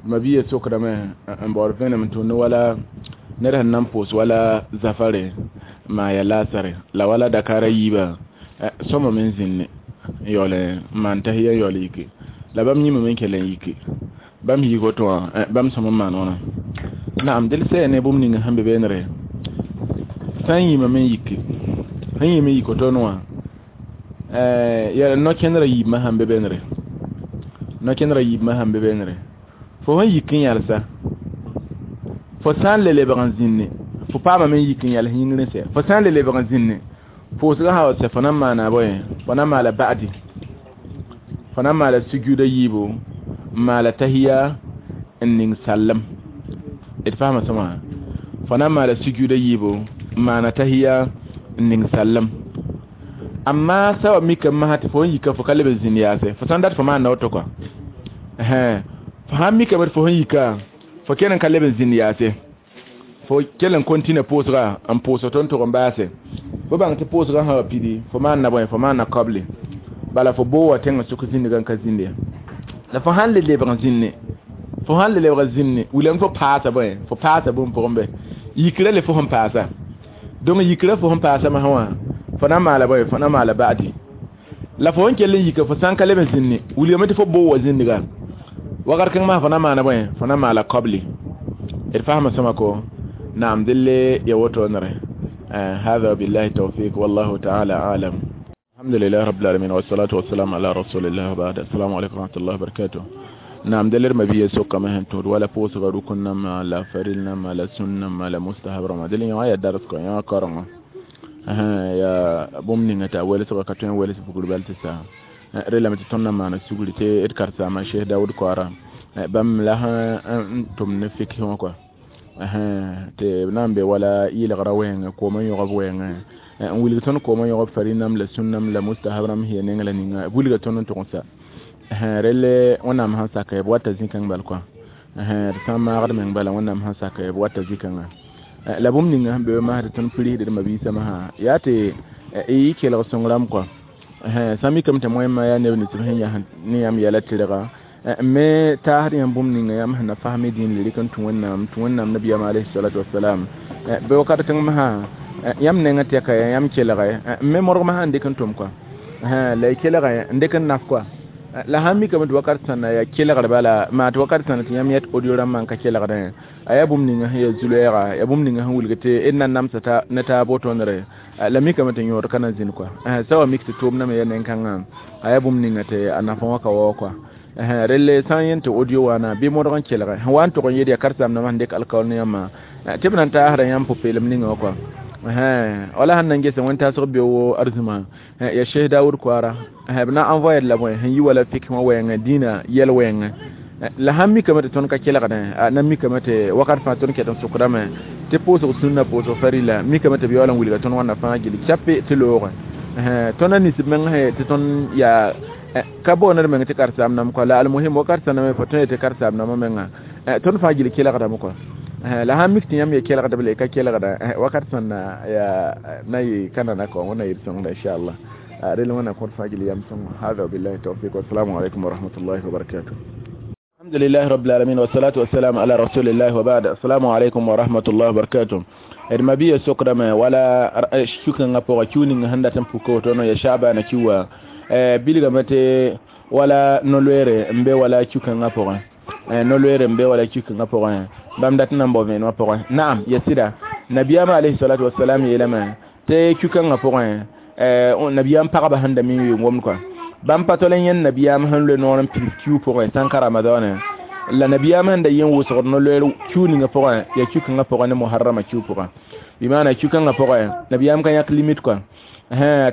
مبيه سكرة n baood vẽenem tʋmd wala ned sẽn na n pʋʋs wala zafare maa ya lasare la wala dakara yiibã sõma me n zĩnne n yaool n maan tahiya n yaool yike la bãmb yĩmame n kell n yike bãmb yik woto wã bãmb sõm n maan wãna. Naam, del sɛ ne bũmb ninga sẽn be beenre sã n yĩmame n yike sẽn yĩm n yik woto wã yaa no-kẽndrã yiibmã sãn be beenre, no-kẽndrã yiibmã sãn be beenre fo sẽn yik n yãlsa fo sã n le lebg n zĩnne fo paamame n yik n yãls yĩngr n sɛ fo sã n le lebg n zĩnne pʋʋsgã sã wa sɛ fo na n maana bõe fo na n maala ba'di fo na n maala sujuuda yiibu n maala tahiya n ning sallem. D faama sõma fo na n maala sujuuda yiibu n maana tahiya n ning sallem. Amma sã wa mikame masã tɩ fo sẽn yika fo ka leb n zĩnd yaase fo sã n dat fo maanda woto kɔa fo sãn mikame tɩ fo sẽn yika fo kell n ka leb n zĩnd yaase fo kell n continue pʋʋsga n pʋʋs tɩ n tʋg n baase fo bãng tɩ pʋʋsgã sã wa pidi fo maanda bõe fo maanda kable bala fo boo wa tẽngã sʋk zĩndgã n ka zĩnd ya. La fo sãn le lebg n zĩnne fo sãn le lebg n zĩnne wilame fo paasa bõe fo paasa bũmb pʋgẽ bɛ yikra le fo sẽn paasa donc yikra fo sẽn paasa masã wã fo na n maala bõe fo na n maala ba'di la fo sẽn kell n yika fo sã n ka leb n zĩnne wilgame tɩ fo boo wa zĩndga wakat kãng masã fo na n maana bõe fo na n maala kable. D faama sõma ko. Naam, delle ya woto nere. هذا بالله التوفيق والله تعالى أعلم. الحمد لله رب العالمين والصلاة والسلام على رسول الله وبعد. السلام عليكم ورحمة الله وبركاته. نعم، دلر ما بيه سوق ما هن ولا بوس غرو كنا ما لا فريلنا ما لا سنة ما لا مستحب رما دلنا يا درس كون يا كرم يا بومني نتا ولا سوق كتوين ولا سوق بالتسا رلا متتنا ما نسوق لتي إركارسا ما شيخ داود كوارا بام لها تم نفك هو كوا tɩ b na n be wala yɩlgrã wɛɛngã koomã yõgb wɛɛngã n wilg tõnd koomã yõgb farinam la sũnnam la mustahab rãmb sẽn ya neng la ninga b wilga tõnd n tʋg n sa relle wẽnnaam sẽn saka b wata zĩ-kãng bal kɔa d sã n maagd meng bala wẽnnaam sẽn saka b wata zĩ-kãngã la bũmb ninga sẽn be masd tõnd pirsd d mabiisã masã yaa tɩ y kelg sõng rãmb kɔa sã mikame tɩ moẽmã yaa neb nins sẽn yas ne yãmb yɛla tɩrga me taasd yãmb bũmb ninga yãmb sẽn na fasme dĩin le rɩk n tũ wẽnnaam nabiyaam alayhi salatu wasalam bɩ wakat kãng masã yãmb nengã tɛka yãmb kelge me modg masã n dɩk n tʋm kɔa la y kelge n dɩk n naf kɔa la sãn mikame tɩ wakat sãnna yaa kelgr bala maa tɩ wakat sãnna tɩ yãmb yɛt audio rãmbã n ka kelgdẽ a yaa bũmb ninga sẽn yaa zu-loɛɛga yaa bũmb ninga sẽn wilg tɩ d na namsa ne taab wotondre la mikame tɩ yõod ka na zĩnd kɔa sã wa mik tɩ tʋʋmdame yaa nen-kãngã a yaa bũmb ninga tɩ a nafã wã ka waoog kɔa relle sã n yẽn tɩ audio waana bɩ modg n kelge sẽn wa n tʋg n yed yaa karen-saambdãmbã sẽn dɩk alkaoor ne yãmbã tɩ b na n taasda yãmb pʋ-peelem ninga wã kɔa wala sẽn na n gese wẽn-taasg beoo arzũma ya Sheikh Daoud Koara b na n envoyer la bõe sẽn yi wala fik wã wɛɛngã dĩinã yɛl wɛɛngã la sãn mikame tɩ tõnd ka kelgdẽ na mikame tɩ wakat fãa tõnd ket n sʋkdame tɩ pʋʋsg sũnna pʋʋsg farila mikame tɩ b yaool n wilga tõnd wãnna fãa gilli chape tɩ loogẽ tõnd a ninsb meng tɩ tõnd yaa Ka boond d meng tɩ karen-saam kɔ la almuhim wakat sẽn me fo tõe tɩ karen-saam menga tõnd fãa gill kelgdame kɔ. La sãn mik tɩ yãmb ye kelgdb la y ka kelgda, wakat sẽn na yaa na yɩ ka nana kɔ. Wẽnna yɩ d sõngda, inchallah. Rel wẽnna kõt fãa gill yam sõngo. Hada billahi tawfiq, wassalamu alaikum wa rahmatullahi wa barakatuh. الحمد لله رب العالمين، والصلاة والسلام على رسول الله، وبعد. السلام عليكم ورحمة الله وبركاته. D mabia sokdame wala kĩukãngã pʋga, kiu ning sẽn dat n puka woto ya Shaabana kiuwã bilgame tɩ wala no-loeere n be wala kiu-kãngã pʋgẽ, no-loeere n be wala kiu-kãngã pʋgẽ, bãmb dat n na n bao vẽenemã pʋgẽ. Naam, ya sɩda, nabiyaamã alayhi salatu wasalam yeelame tɩ kiu-kãngã pʋgẽ nabiyaam pagba sẽn da mi n wʋɩ gomd kɔa, bãmb pa tol n yẽnd nabiyaam sẽn loe noor n pids kiu pʋgẽ sãn ka Ramadaanẽ la nabiyaam sẽn da yẽ wʋsgd no-loeer kiu ninga pʋgẽ, ya kiu-kãngã pʋgẽ ne Muharrama kiu pʋgẽ. Bɩ maana kiu-kãngã pʋgẽ nabiyaam ka yãk limite kɔa,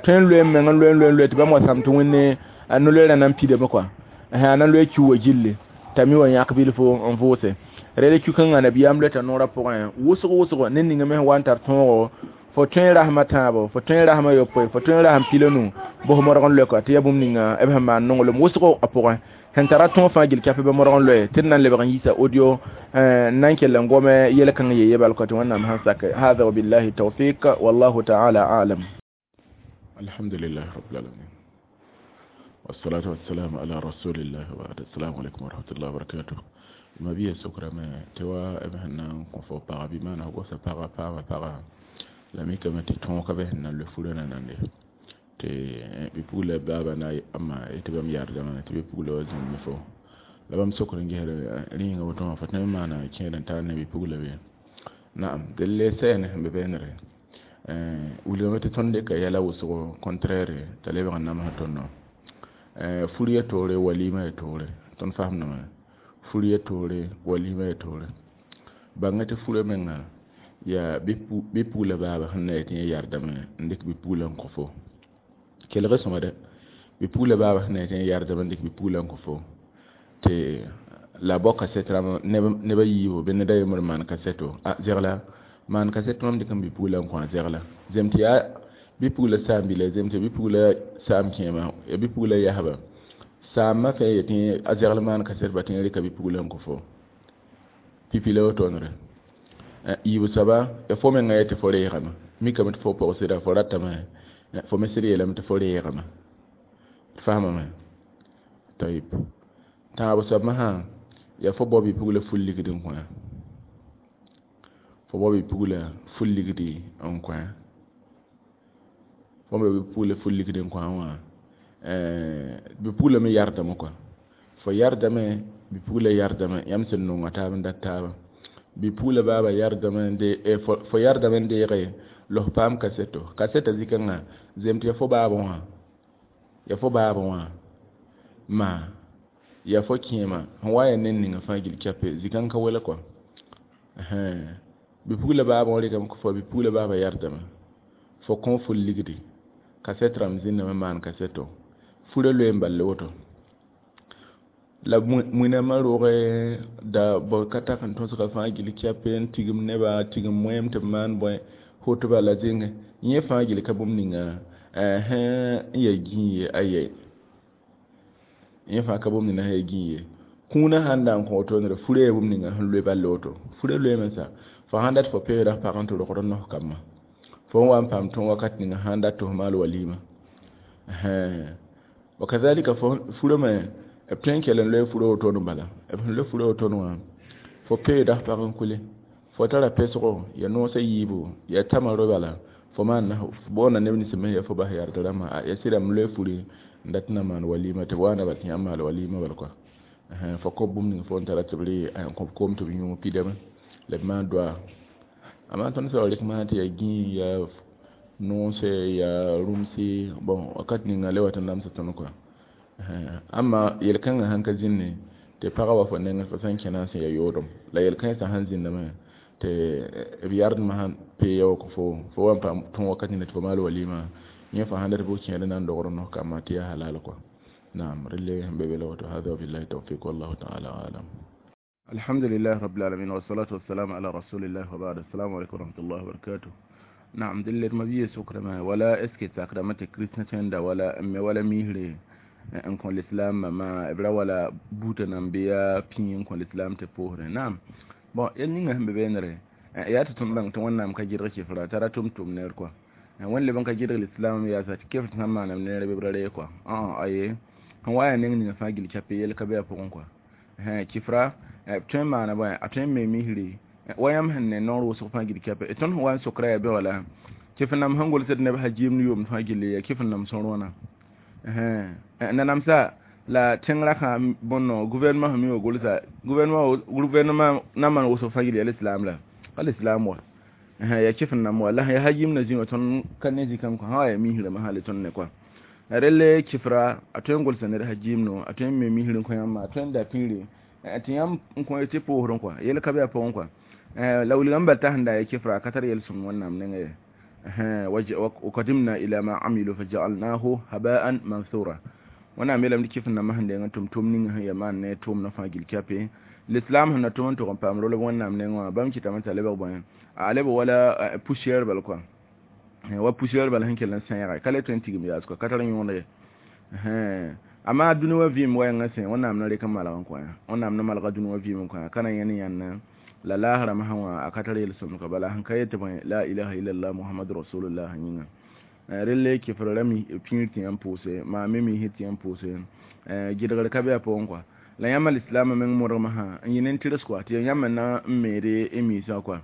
tõe n loe n meng n loe n loe n loe tɩ bãmb wa sãm tɩ Wẽnne a no-loeerã na n pidame kɔa, a na n loe kiu wa gilli t'a mi wa yãk bilfo n vʋʋse. Rel kiu-kãngã nabiyaam loeta noorã pʋgẽ wʋsg wʋsgo ned ninga me sẽn wa n tar tõogo, fo tõe rasmã tãabo, fo tõe rasmã yopoe, fo tõe rasm pila nu bos modg n loe kɔa, tɩ ya bũmb ninga b sẽn maan nonglem wʋsgo a pʋgẽ sẽn tara tõog fãa gill kɛp bɩ modg n loe tɩ d na n lebg n yiisa audio n na n kell n gome yel-kãng ye yebal kɔ tɩ Wẽnnaam sẽn sake. Hada wabillahi tawfiq, wallahu taala alam. الحمد لله رب العالمين، والصلاة والسلام على رسول الله، وبعد. السلام عليكم ورحمة الله وبركاته. Mabia sokrame tɩ wa b sẽn na n kõ fo paga, bɩ maana fo gosa paga paama paga la mikame tɩ tõog ka be sẽn na n loe furã na nande tɩ bɩ-pugla baaba na ama tɩ bãmb yardame tɩ bɩ-pugla wa zĩnd ne fo la bãmb sokr n gesd rĩnga woto wã, fo tõe n maana kẽed n tar ne bɩ-pugla be. Naam, delle sɛɛne sẽn be bɛɛnere wilgame tɩ tõnd dɩka yɛla wʋsgo contraire t'a lebg n namsã tõndõ. Fur ya toore, walima ya toore. Tõnd fasemdame fur ya toore, walima ya toore. Bãnga tɩ furã menga yaa bɩ-pugla baaba sẽn na yetɩ yẽ yardame n dɩk bɩ-pugla n kõ fo. Kelg sõma dɛ, bɩ-pugla baaba sẽn na yetɩ yẽ yardame n dɩk bɩ-pugla n kõ fo tɩ la bao kasɛt rãmb neb a yiibu bɩ ned a yembr maan kasɛto a zegla maan kasɛt mam dɩk n bɩ-pugla n kõ a zegla zem tɩ yaa bɩ-pugla saam-bila, zem tɩ bɩ-pugla saam kẽema, ya bɩ-pugla yasba saamã fẽe yetɩ a zegl maan kasɛt ba tɩ rɩka bɩ-pugla n kõ fo pipi la wotone. Yiib soaba ya fo menga yetɩ fo reegame, mikame tɩ fo pog sɩda fo ratame, fo me sɩd yeelame tɩ fo reegame, d faamame. Tayib, tãab soab masã ya fo bao bɩ-pugla ful ligd n kõ, fo bao bɩ-pugla ful ligdi n kõ, fo me bɩ-pugla ful ligd n kõ wã, bɩ-pugla me yardame kɔa, fo yardame, bɩ-pugla yardame, yãmb sẽn nonga taab n dat taaba, bɩ-pugla baaba yardame, fo yardame n deege los paam kaseto kasɛta zĩ-kãngã zem tɩ ya fo baabã wã, ya fo baabã wã ma ya fo kẽema sẽn wa ya ned ninga fãa gill kɛpe zĩ-kãng ka wela kɔa. Bɩ-pugla baabã wã rɩkame kõ fo, bɩ-pugla baaba yardame fo kõ ful ligdi kasɛt rãmb zĩndame maan kasɛto furã loe n ball woto la muinamã roogẽ da b ka tak n tõsga fãa gill kɛpe n tigim neba, tigim moẽem tɩ b maan bõe hotba la zẽnge yẽ fãa gill ka bũmb ninga sẽn ya gĩig ye aye yẽ fãa ka bũmb ninga sẽn ya gĩig ye. Kũunã sãn da n kõ wotone furã yaa bũmb ninga sẽn loe ball woto furã loeeme sa fo sãn dat fo peeda pag n tɩ rogd nos kambã fo n wa n paam tõog wakat ninga sãn dat tɩ f maal walima. Wakadhalika fo furã me b tõe n kell n loe furã wotone bala b sẽn loe furã wotone wã fo peeda pag n kule fo tara pesgo ya noosã yiibu ya tama ro bala fo maan boonda neb nins me ya fo bas yard rãmbã ya sɩda m loe furi n dat na maan walima tɩ b wa na bal tɩ yãmb maal walima bal kɔa fo kõ bũmb ning fo n tara tɩ b rɩ n kõ koom tɩ b yũ pidame la b maan doa. Amma tõnd sã wa rɩk masã tɩ ya gĩig ya noose ya rũmsi bon wakat ninga le wat n namsa tõnd kɔa. Amma yel-kãngã sãn ka zĩnne tɩ pagã wa fo nengẽ fo sẽn kẽna sẽn ya yoodem la yel-kãensã sãn zĩndame tɩ b yardmã sãn pee ya wa kõ fo fo wa n paam tõog wakat ninga tɩ fo maal walima yẽ fo sãn dat bʋ kẽed n na n dogr nos kambã tɩ yaa halal kɔa. Naam, relle sẽn be be la woto. Hada wabillahi tawfiq, wallahu taala alam. الحمد لله رب العالمين، والصلاة والسلام على رسول الله، وبعد. السلام عليكم ورحمة الله وبركاته. نعم, dille ma biye sukrama wala eske sakrama te kristna tenda wala me wala mihre. n kõ lislaambã maa b ra wala buutã nan bɩ yaa pĩig n kõ lislaam tɩ pʋʋsdẽ. Naam, bon, yel ninga sẽn be beene yaa tɩ tõnd bãng tɩ Wẽnnaam ka gɩdg kɩfra t'a ra tʋm-tʋm neer kɔa. Wẽnd leb n ka gɩdg lislaam yaasa tɩ kɩfr sãn maanam neere bɩ b ra reeg kɔa. Aye, sẽn wa yaa neng ninga fãa gill kɛpɩ yel ka be a pʋgẽ kɔa. Kɩfra b tõe n maana bõe, a tõe n me misri wa yãmb sẽn ne noor wʋsg fãa gill kɛpɛ. Tõnd sẽn wa n sokra yaa bɛ wala kɩf nam sẽn gʋlsd neb hajim ne yʋʋmd fãa gilli yaa kɩf nam sõr wãna. Nanamsa la tẽng rakã bõn gouvernement sẽn mi wa gʋlsa gouvernement na n maan wʋsg fãa gill yaa lislaam la ka lislaam wa yaa kɩf nam wa la yaa hajim na zĩ wã tõnd ka ne zĩ-kãng kõ sã wa yaa misrame hali tõnd ne kɔa. Relle kɩfra a tõe n gʋlsa ned hajim no, a tõe n me misr n kõ yãmba, a tõe n da pĩire tɩ yãmb n kõ tɩ pʋʋsdẽ kɔa, yel ka be a pʋgẽ kɔa. La wilgame bal t'a sẽn da ya kɩfra a ka tar yel-sõng Wẽnnaam nengẽ ye. وقدمنا إلى ما عملوا فجعلناه هباء منثورا. Wẽnnaam yeelame tɩ kɩf nambã sẽn deng n tʋm-tʋm ning sẽn yaa maan ne tʋʋmdã fãa gill kɛpɩ lislaam sẽn na tʋm n tʋg n paam rolb Wẽnnaam nengẽ wã bãmb kɩtame t'a lebg bõe, a lebg wala poussière bal kɔa, wa poussière bal sẽn kell n sẽega ka le tõe n tigim yaas kɔa, ka tar yõod ye. Amma dũni wã vɩɩm wɛɛngã sẽ Wẽnnaam na rek n malg n kõ ya, Wẽnnaam na malga dũni wã vɩɩm n kõ ya, ka na yẽn yãnna la laasrã masã wã a ka tar yel-sõmd ka bala sẽn ka yet bõe la ilaha illallah Muhammad rasulullah yĩnga. Relle kɩfr ra pĩir tɩ yãmb pʋʋse maa me misr tɩ yãmb pʋʋse gɩdgr ka be a pʋgẽ kɔa. La yãmba lislaamã meng modgmã sã n yɩ nen-tɩrs kɔa tɩ yãmb na n meede y miisã kɔa.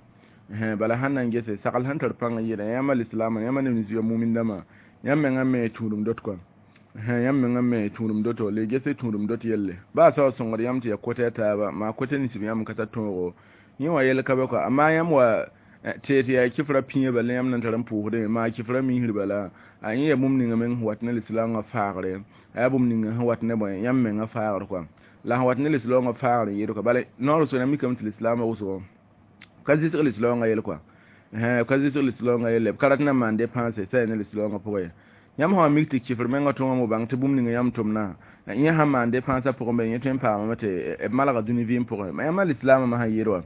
Bala sãn na n gese sagl sẽn tar pãng n yɩɩda yãmba lislaamã, yãmba neb nins ya mumin dãmbã, yãmb mengã me tũudum dot kɔa, yãmb mengã me tũudum doto le gese tũudum dot yelle baa sa wa sõngd yãmb tɩ ya kota ya taaba maa kota nins b yãmb ka tar tõogo yẽ wã yel ka be kɔa. Amma yãmb wa tɩ yaa kɩfra pĩigã bala yãmb na n tar n pʋʋsdẽ maa kɩfra misr bala a yẽ yaa bũmb ninga meng sẽn wat ne lislaangã faagre, a yaa bũmb ninga sẽn wat ne bõe yãmb mengã faagr kɔa, la sẽn wat ne lislaangã faagr n yɩɩd kɔa. Bala noor wʋsgo yãmb mikame tɩ lislaamã wʋsgo ka zɩsg lislaangã yel kɔa, ka zɩsg lislaangã yelle b ka rat na n maan dépense sã yaa ne lislaangã pʋgẽ ye. Yãmb sã wa mik tɩ kɩfr mengã tõogame bãng tɩ bũmb ninga yãmb tʋmdã yẽ sãn maan dépense a pʋgẽ be yẽ tõe n paamame tɩ b malga dũni vɩɩm pʋgẽ. Yãmba lislaamã masã yɩɩd wa,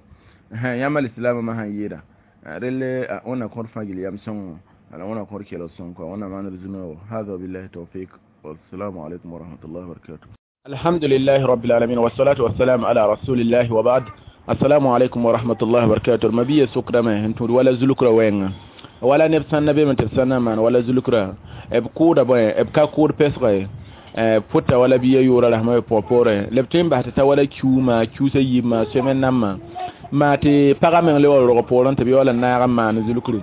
yãmba lislaamã masã yɩɩda relle wẽnna kõr fãa gill yam sõngo ala wẽnna kõr kelg sõng kɔa, wẽnna maand d zu-noog. Hada billahi tawfiq, wassalamu alaikum warahmatullahi wabarakatuh. Alhamdulillahi rabbil alamin, wassalatu wassalamu ala rasulillahi wa ba'd. Assalamu alaikum warahmatullahi wabarakatuh. Mabiya sokdame sẽn tũud wala zulukra wɛɛngã wala neb sãn na beeme tɩ b sãn na n maan wala zulukra b kʋʋda bõe, b ka kʋʋd pesga ye pʋta wala bia yʋʋra rasmã b pʋgã poorẽ la b tõe n bas tɩ ta wala kiuuma kiusa yiibmã sẽmen nambã maa tɩ pagã meng le wa rog poorẽ tɩ b yaool n naag n maan zulukre.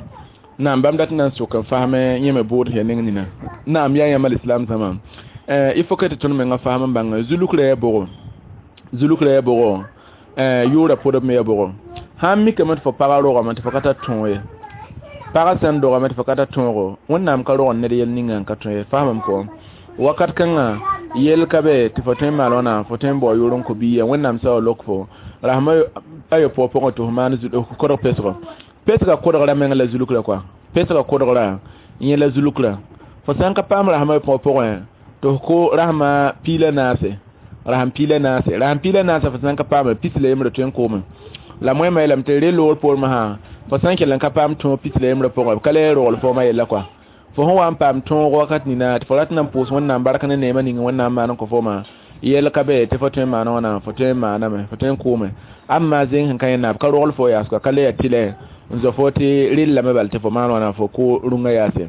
Naam, bãmb dat n na n sok n fasme yẽ me bood ya neng nina. Naam, yaa yãmba lislaam zãma, il faut que tɩ tõnd mengã fasm n bãng zulukra yaa bʋgo, zulukra yaa bʋgo, yʋʋra pʋdb me yaa bʋgo. Sãn mikame tɩ fo pagã rogame tɩ fo ka tar tõog ye, pagã sẽn dogame tɩ fo ka tar tõogo, Wẽnnaam ka rog ned yel ninga n ka tõe ye, fasmame kɔ wakat kãngã yel ka be tɩ fo tõe n maal wãna, fo tõe n bao yʋʋr n kõ biiya. Wẽnnaam sa wa lok fo rasmã ayopʋgã pʋgẽ tɩ fo maan kodg pesgo, pesgã kodgra meng la zulukra kɔa, pesgã kodgra yẽ la zulukra. Fo sã n ka paam rasmã ayopʋgã pʋgẽ tɩ f ko rasmã piila naase, rasm piila naase, rasm piila naase fo sã n ka paame pis la yembrã tõe n koome la moẽmã yeelame tɩ re loor poor masã fo sã n kell n ka paam tõog pis la yembrã pʋgẽ b ka le rogl foomã yella kɔa. Fo sẽn wa n paam tõog wakat nina tɩ fo rat na n pʋʋs Wẽnnaam bark ne neemã ning Wẽnnaam maan n kõ foomã yel ka be tɩ fo tõe n maana wãna, fo tõe n maaname, fo tõe n kʋʋme. Amma zẽng sẽn ka yẽnna b ka rogl fo yaas kɔa, ka le yaa tɩlɛ n zao fo tɩ rellame bal tɩ fo maan wãna fo kʋ rũngã yaase.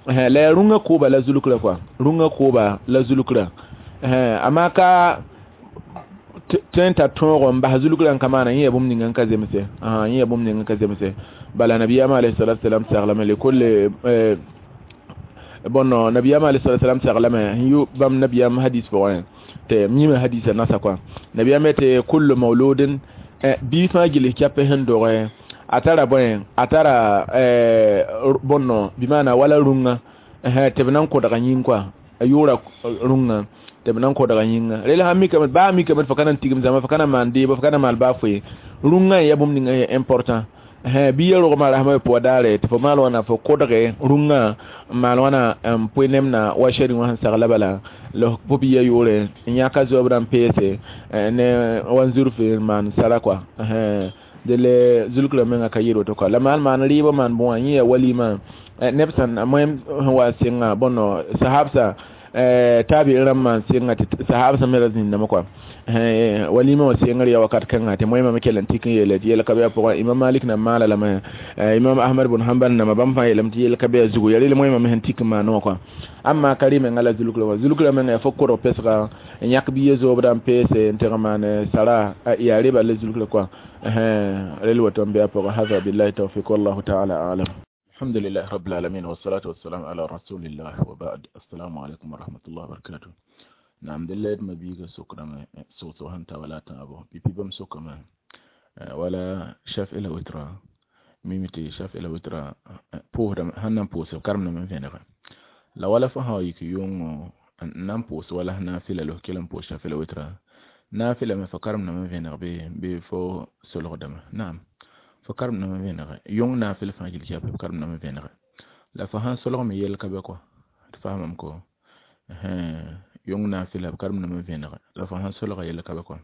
La yaa rũngã kʋʋba la zulukra kɔa, rũngã kʋʋba la zulukra. Amma ka tõe n tar tõogo n bas zulukra n ka maana yẽ yaa bũmb ninga n ka zemse, yẽ yaa bũmb ninga n ka zemse. Bala nabiyaamã alayhi salatu wasalam saglame lekol bõn nabiyaamã alayhi salatu wasalam saglame sẽn yʋ bãmb nabiyaam hadis pʋgẽ tɩ mime hadisa nasa kɔa. Nabiyaam tɩ kullu mauludin bii fãa gill kɛpɛ sẽn doge a tara bõe, a tara bõnno bɩ maana wala rũngã tɩ b na n kodga yĩng kɔa, a yʋʋra rũngã tɩ b na n kodga yĩnga. Rel sãn mikame baa mikame tɩ fo ka na n tigim zãma, fo ka na n maan deebo, fo ka na n maal baa foe, rũngã n yaa bũmb ninga yaa important. Bɩ ya rogmã rasmã pʋga daare tɩ fo maal wãna fo kodge rũngã n maal wãna n pʋɩ nemna wa shɛrẽ wã sẽn sagla bala la fo bia yʋʋre n yãka zooob n peese ne wa n zurf n maan sara kɔa. Dele zulukra menga ka yɩɩd woto kɔa la maal maan rɩɩbã maan bõa yẽ yaa walima neb sãn moẽm sẽn wa sɩnga bõno sahabsa Tabi rãmbã n sɩnga tɩ sahab sẽn me ra zĩndame kɔa walima wã sengr ya wakat kãnga tɩ moẽmame kell n tik n yeele tɩ yɛl ka be a pʋgã. Imam Malik na maala lame, Imam Ahmad bn Hambal namba bãmb fãa yeelame tɩ yɛl ka be a zugu. Ya rel moẽmame sẽn tik n maan wã kɔa. Amma ka rɩ menga la zulkrã wã, zulkrã menga yaa fo korg pesga n yãk biya zoobda n peese n teg n maan sara, yaa rɩ bala la zulkrã kɔa. Rel woto n be a pʋgã. Hada billahi tawfiq, wallahu taala alam. الحمد لله رب العالمين، والصلاة والسلام على رسول الله، وبعد. السلام عليكم ورحمة الله وبركاته. نعم، دلت ما بيغا سكرما سوسو هنتا ولا تابو بيبي بم سكرما ولا شاف إلى وترا ميمتي شاف إلى وترا بوه هنن بوس كرمنا من فين لا ولا فها يك يوم نام بوس ولا نافلة له كلام بوس شاف إلى وترا نافلة ما فكرمنا من فين بي بي فو سلو دم. نعم، فكرمنا من فين يوم نافلة فاجل شاف كرمنا من فين لا فها سلو مي يلك بكو تفهمم كو yõng naafɩla b karem name vẽnege la fo sãn solga yell ka be kɔ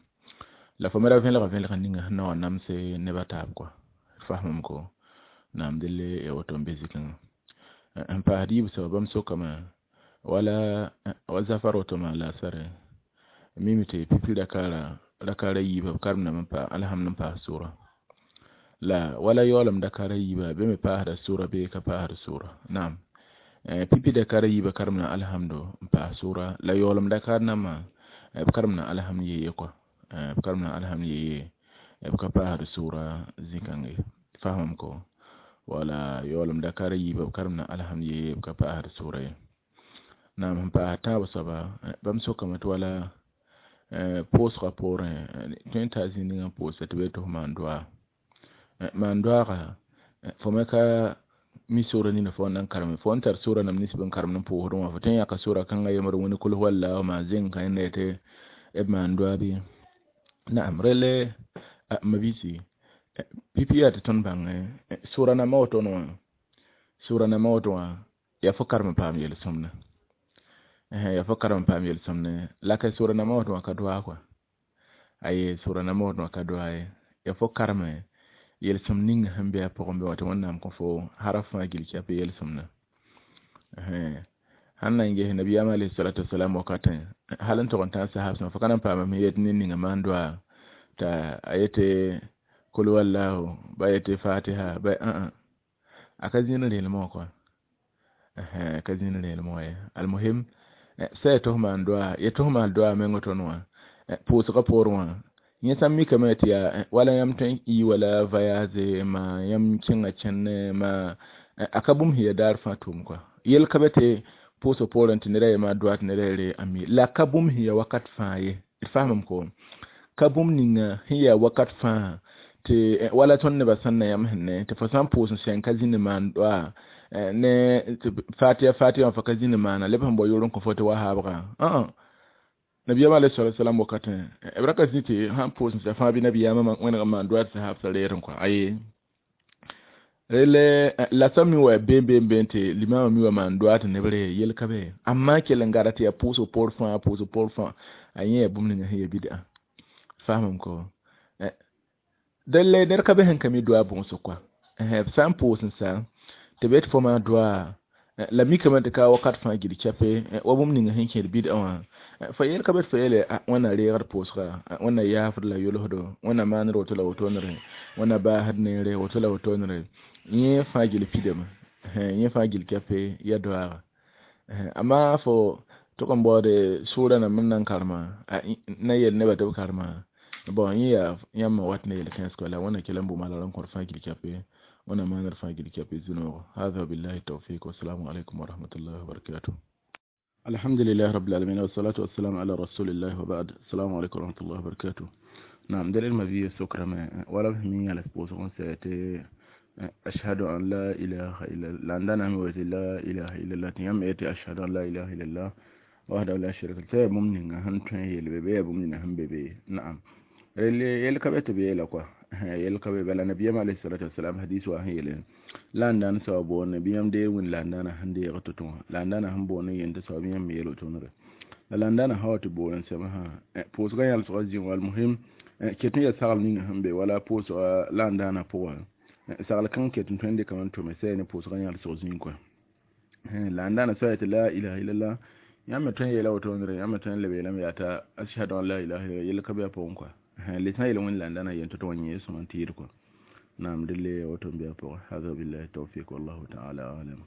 la fo me ra vẽlga vẽlg ninga sẽn na wa namse neb a taab kɔ. Fasmame ko naam delle ya woto n be zikãngã n paasd yiib soaba. Bãmb sokame wala wa zafar woto maa laasare mime tɩ pipi rakaara rakaara yiibã b karem name n pa alhamd n paas sʋra la wala yaoolem dakaara yiibã be me paasda sʋra bee ka paasd sʋra. Naam, pipi dakara yiibã karem na alhamdo n paas sʋra la yaoolem dakar nambã b karem na alhamd yeye kɔa, b karem na alhamd yeye, b ka paasd sʋra zĩ-kãnge. Fasmame ko wala yaoolem dakara yiibã b karem na alhamd yeye, b ka paasd sʋra ye. Naam, sẽn paas tãab soaba, bãmb sokame tɩ wala pʋʋsgã poorẽ tõe n taa zĩ ninga n pʋʋsa tɩ b yetɩ f maan doaa maan doaaga fo me ka mi sʋra nina fo nan karem fo n tar sʋra nam nins bɩ n karem n pʋʋsdẽ wã fo tõe n yãka sʋra kãngã yembr wẽnd kul walla maa zẽng ka yẽnda yetɩ b maan doaa bɩ. Naam, relle mabiisi pipi yaa tɩ tõnd bãngẽ sʋra nambã woto wã, sʋra nambã woto wã yaa fo karem n paam yel-sõmda, yaa fo karem n paam yel-sõmdẽ la ka sʋra nambã woto wã ka doaa kɔa. Aye, sʋra nambã woto wã ka doaa ye, yaa fo kareme yel-sõmd ning sẽn be a pʋgẽ bɩ wã tɩ Wẽnnaam kõ fo haraf fãa gil kɛp yel-sõmdã. Sãn na n ges nabiyaam alayhi salatu wasalam wakatẽ hal n tog n tãag sahab sẽn fo ka na n paama yet ned ninga maan doaa t'a a yetɩ kul wallahu ba yetɩ fatiha ba a ka zĩnd rẽelmẽ wã kɔa, ka zĩnd rẽelmẽ wã ye. Almuhim sã ya tɩ f maan doaa ya tɩ f maan doaa meng tõnd wã pʋʋsgã poorẽ wã yẽ sã n mikame tɩ yaa wala yãmb tõe n ii wala voyage ma yãmb kẽnga kẽne ma a ka bũmb sẽn ya daar fãa tʋʋm kɔa. Yel ka be tɩ pʋʋsg poorẽ tɩ neda yema doa tɩ neda yere a mi la ka bũmb sẽn ya wakat fãa ye. D fasmame ko ka bũmb ninga sẽn ya wakat fãa tɩ wala tõnd nebã sẽn na yãmb sẽn ne tɩ fo sã n pʋʋs n sẽn ka zĩnd maan doa ne fatiya fatiya wã fo ka zĩnd maana leb sẽn bao yor n kõ fo tɩ wa haabga. Nabiyam alayhi salatu wasalam wakatẽ b ra ka zĩ tɩ sãn pʋʋs n sã fãa bɩ nabiyaamã wẽneg n maan doa tɩ sahab sã reer n kɔa. Aye, rele la sã mi wa been been been tɩ limama mi wa maan doa tɩ neb re yel ka be amma kell n gada tɩ yaa pʋʋsg poor fãa, pʋʋsg poor fãa a yẽ yaa bũmb ninga sẽn ya bid'a. Fasmame ko delle ned ka be sẽn ka mi doa bõosg kɔa. B sã n pʋʋs n sa tɩ b yetɩ fo maa doa la mikame tɩ ka wakat fãa gil kɛpe wa bũmb ninga sẽn kẽed bid'a wã fo yel ka be tɩ fo yeele Wẽnna reegd pʋʋsga, Wẽnna yaafd la yolsdo, Wẽnna maanr woto la wotonere, Wẽnna baasd neere woto la wotonere yẽ fãa gil pidame, yẽ fãa gil kɛpe ya doaaga. Amma fo tʋg n baoode sʋʋra nambd n na n karema na yel nebã tɩ b karema bon yẽ yaa yãmb wat ne yel-kãens kɔa la Wẽnna kell n bʋma la r n kõt fãa gil kɛpe, Wẽnna maanr fãa gil kɛpe zĩ-noogo. Hada billahi tawfiq, wassalamu alaikum warahmatullahi wabarakatuh. الحمد لله رب العالمين، والصلاة والسلام على رسول الله، وبعد. السلام عليكم ورحمة الله وبركاته. نعم، دليل ما بيه سكر ما ولا بهمي على سبوس سيأتي أشهد أن لا إله إلا الله عندنا لا إله إلا الله تيام يأتي أشهد أن لا إله إلا الله وحده لا شريك له بمنين هم تني البيبي بمنين هم بيبي. نعم، اللي يلقى بيه لقوا يلقى بلا نبي عليه الصلاة والسلام حديث وهي لا عندنا سوابون نبي دي وين لا عندنا هندي غتوتون لا عندنا هم بوني ينت سوابين ميلو تونر لا عندنا هو تبون سمها بوس غير الصغير. والمهم كتني يسال نين هم بي ولا بوس لا عندنا بوا سال كان كتن تندي كمان تومسين بوس غير الصغير كوا لا عندنا سويت لا إله إلا الله. Yãmb me tõe n yeela wotone rẽ, yãmb me tõe n leb yeelame yaa t'a ashhadu an la ilaha illallah, yell ka be a pʋgẽ kɔa. Le sã n yeel wẽnd la n da na yen tɩ tɩ wa yẽ sõma n tɩɩd kɔa. Naam, dẽle woto n be a pʋgẽ. Hada billahi tawfiq, wallahu taala alam.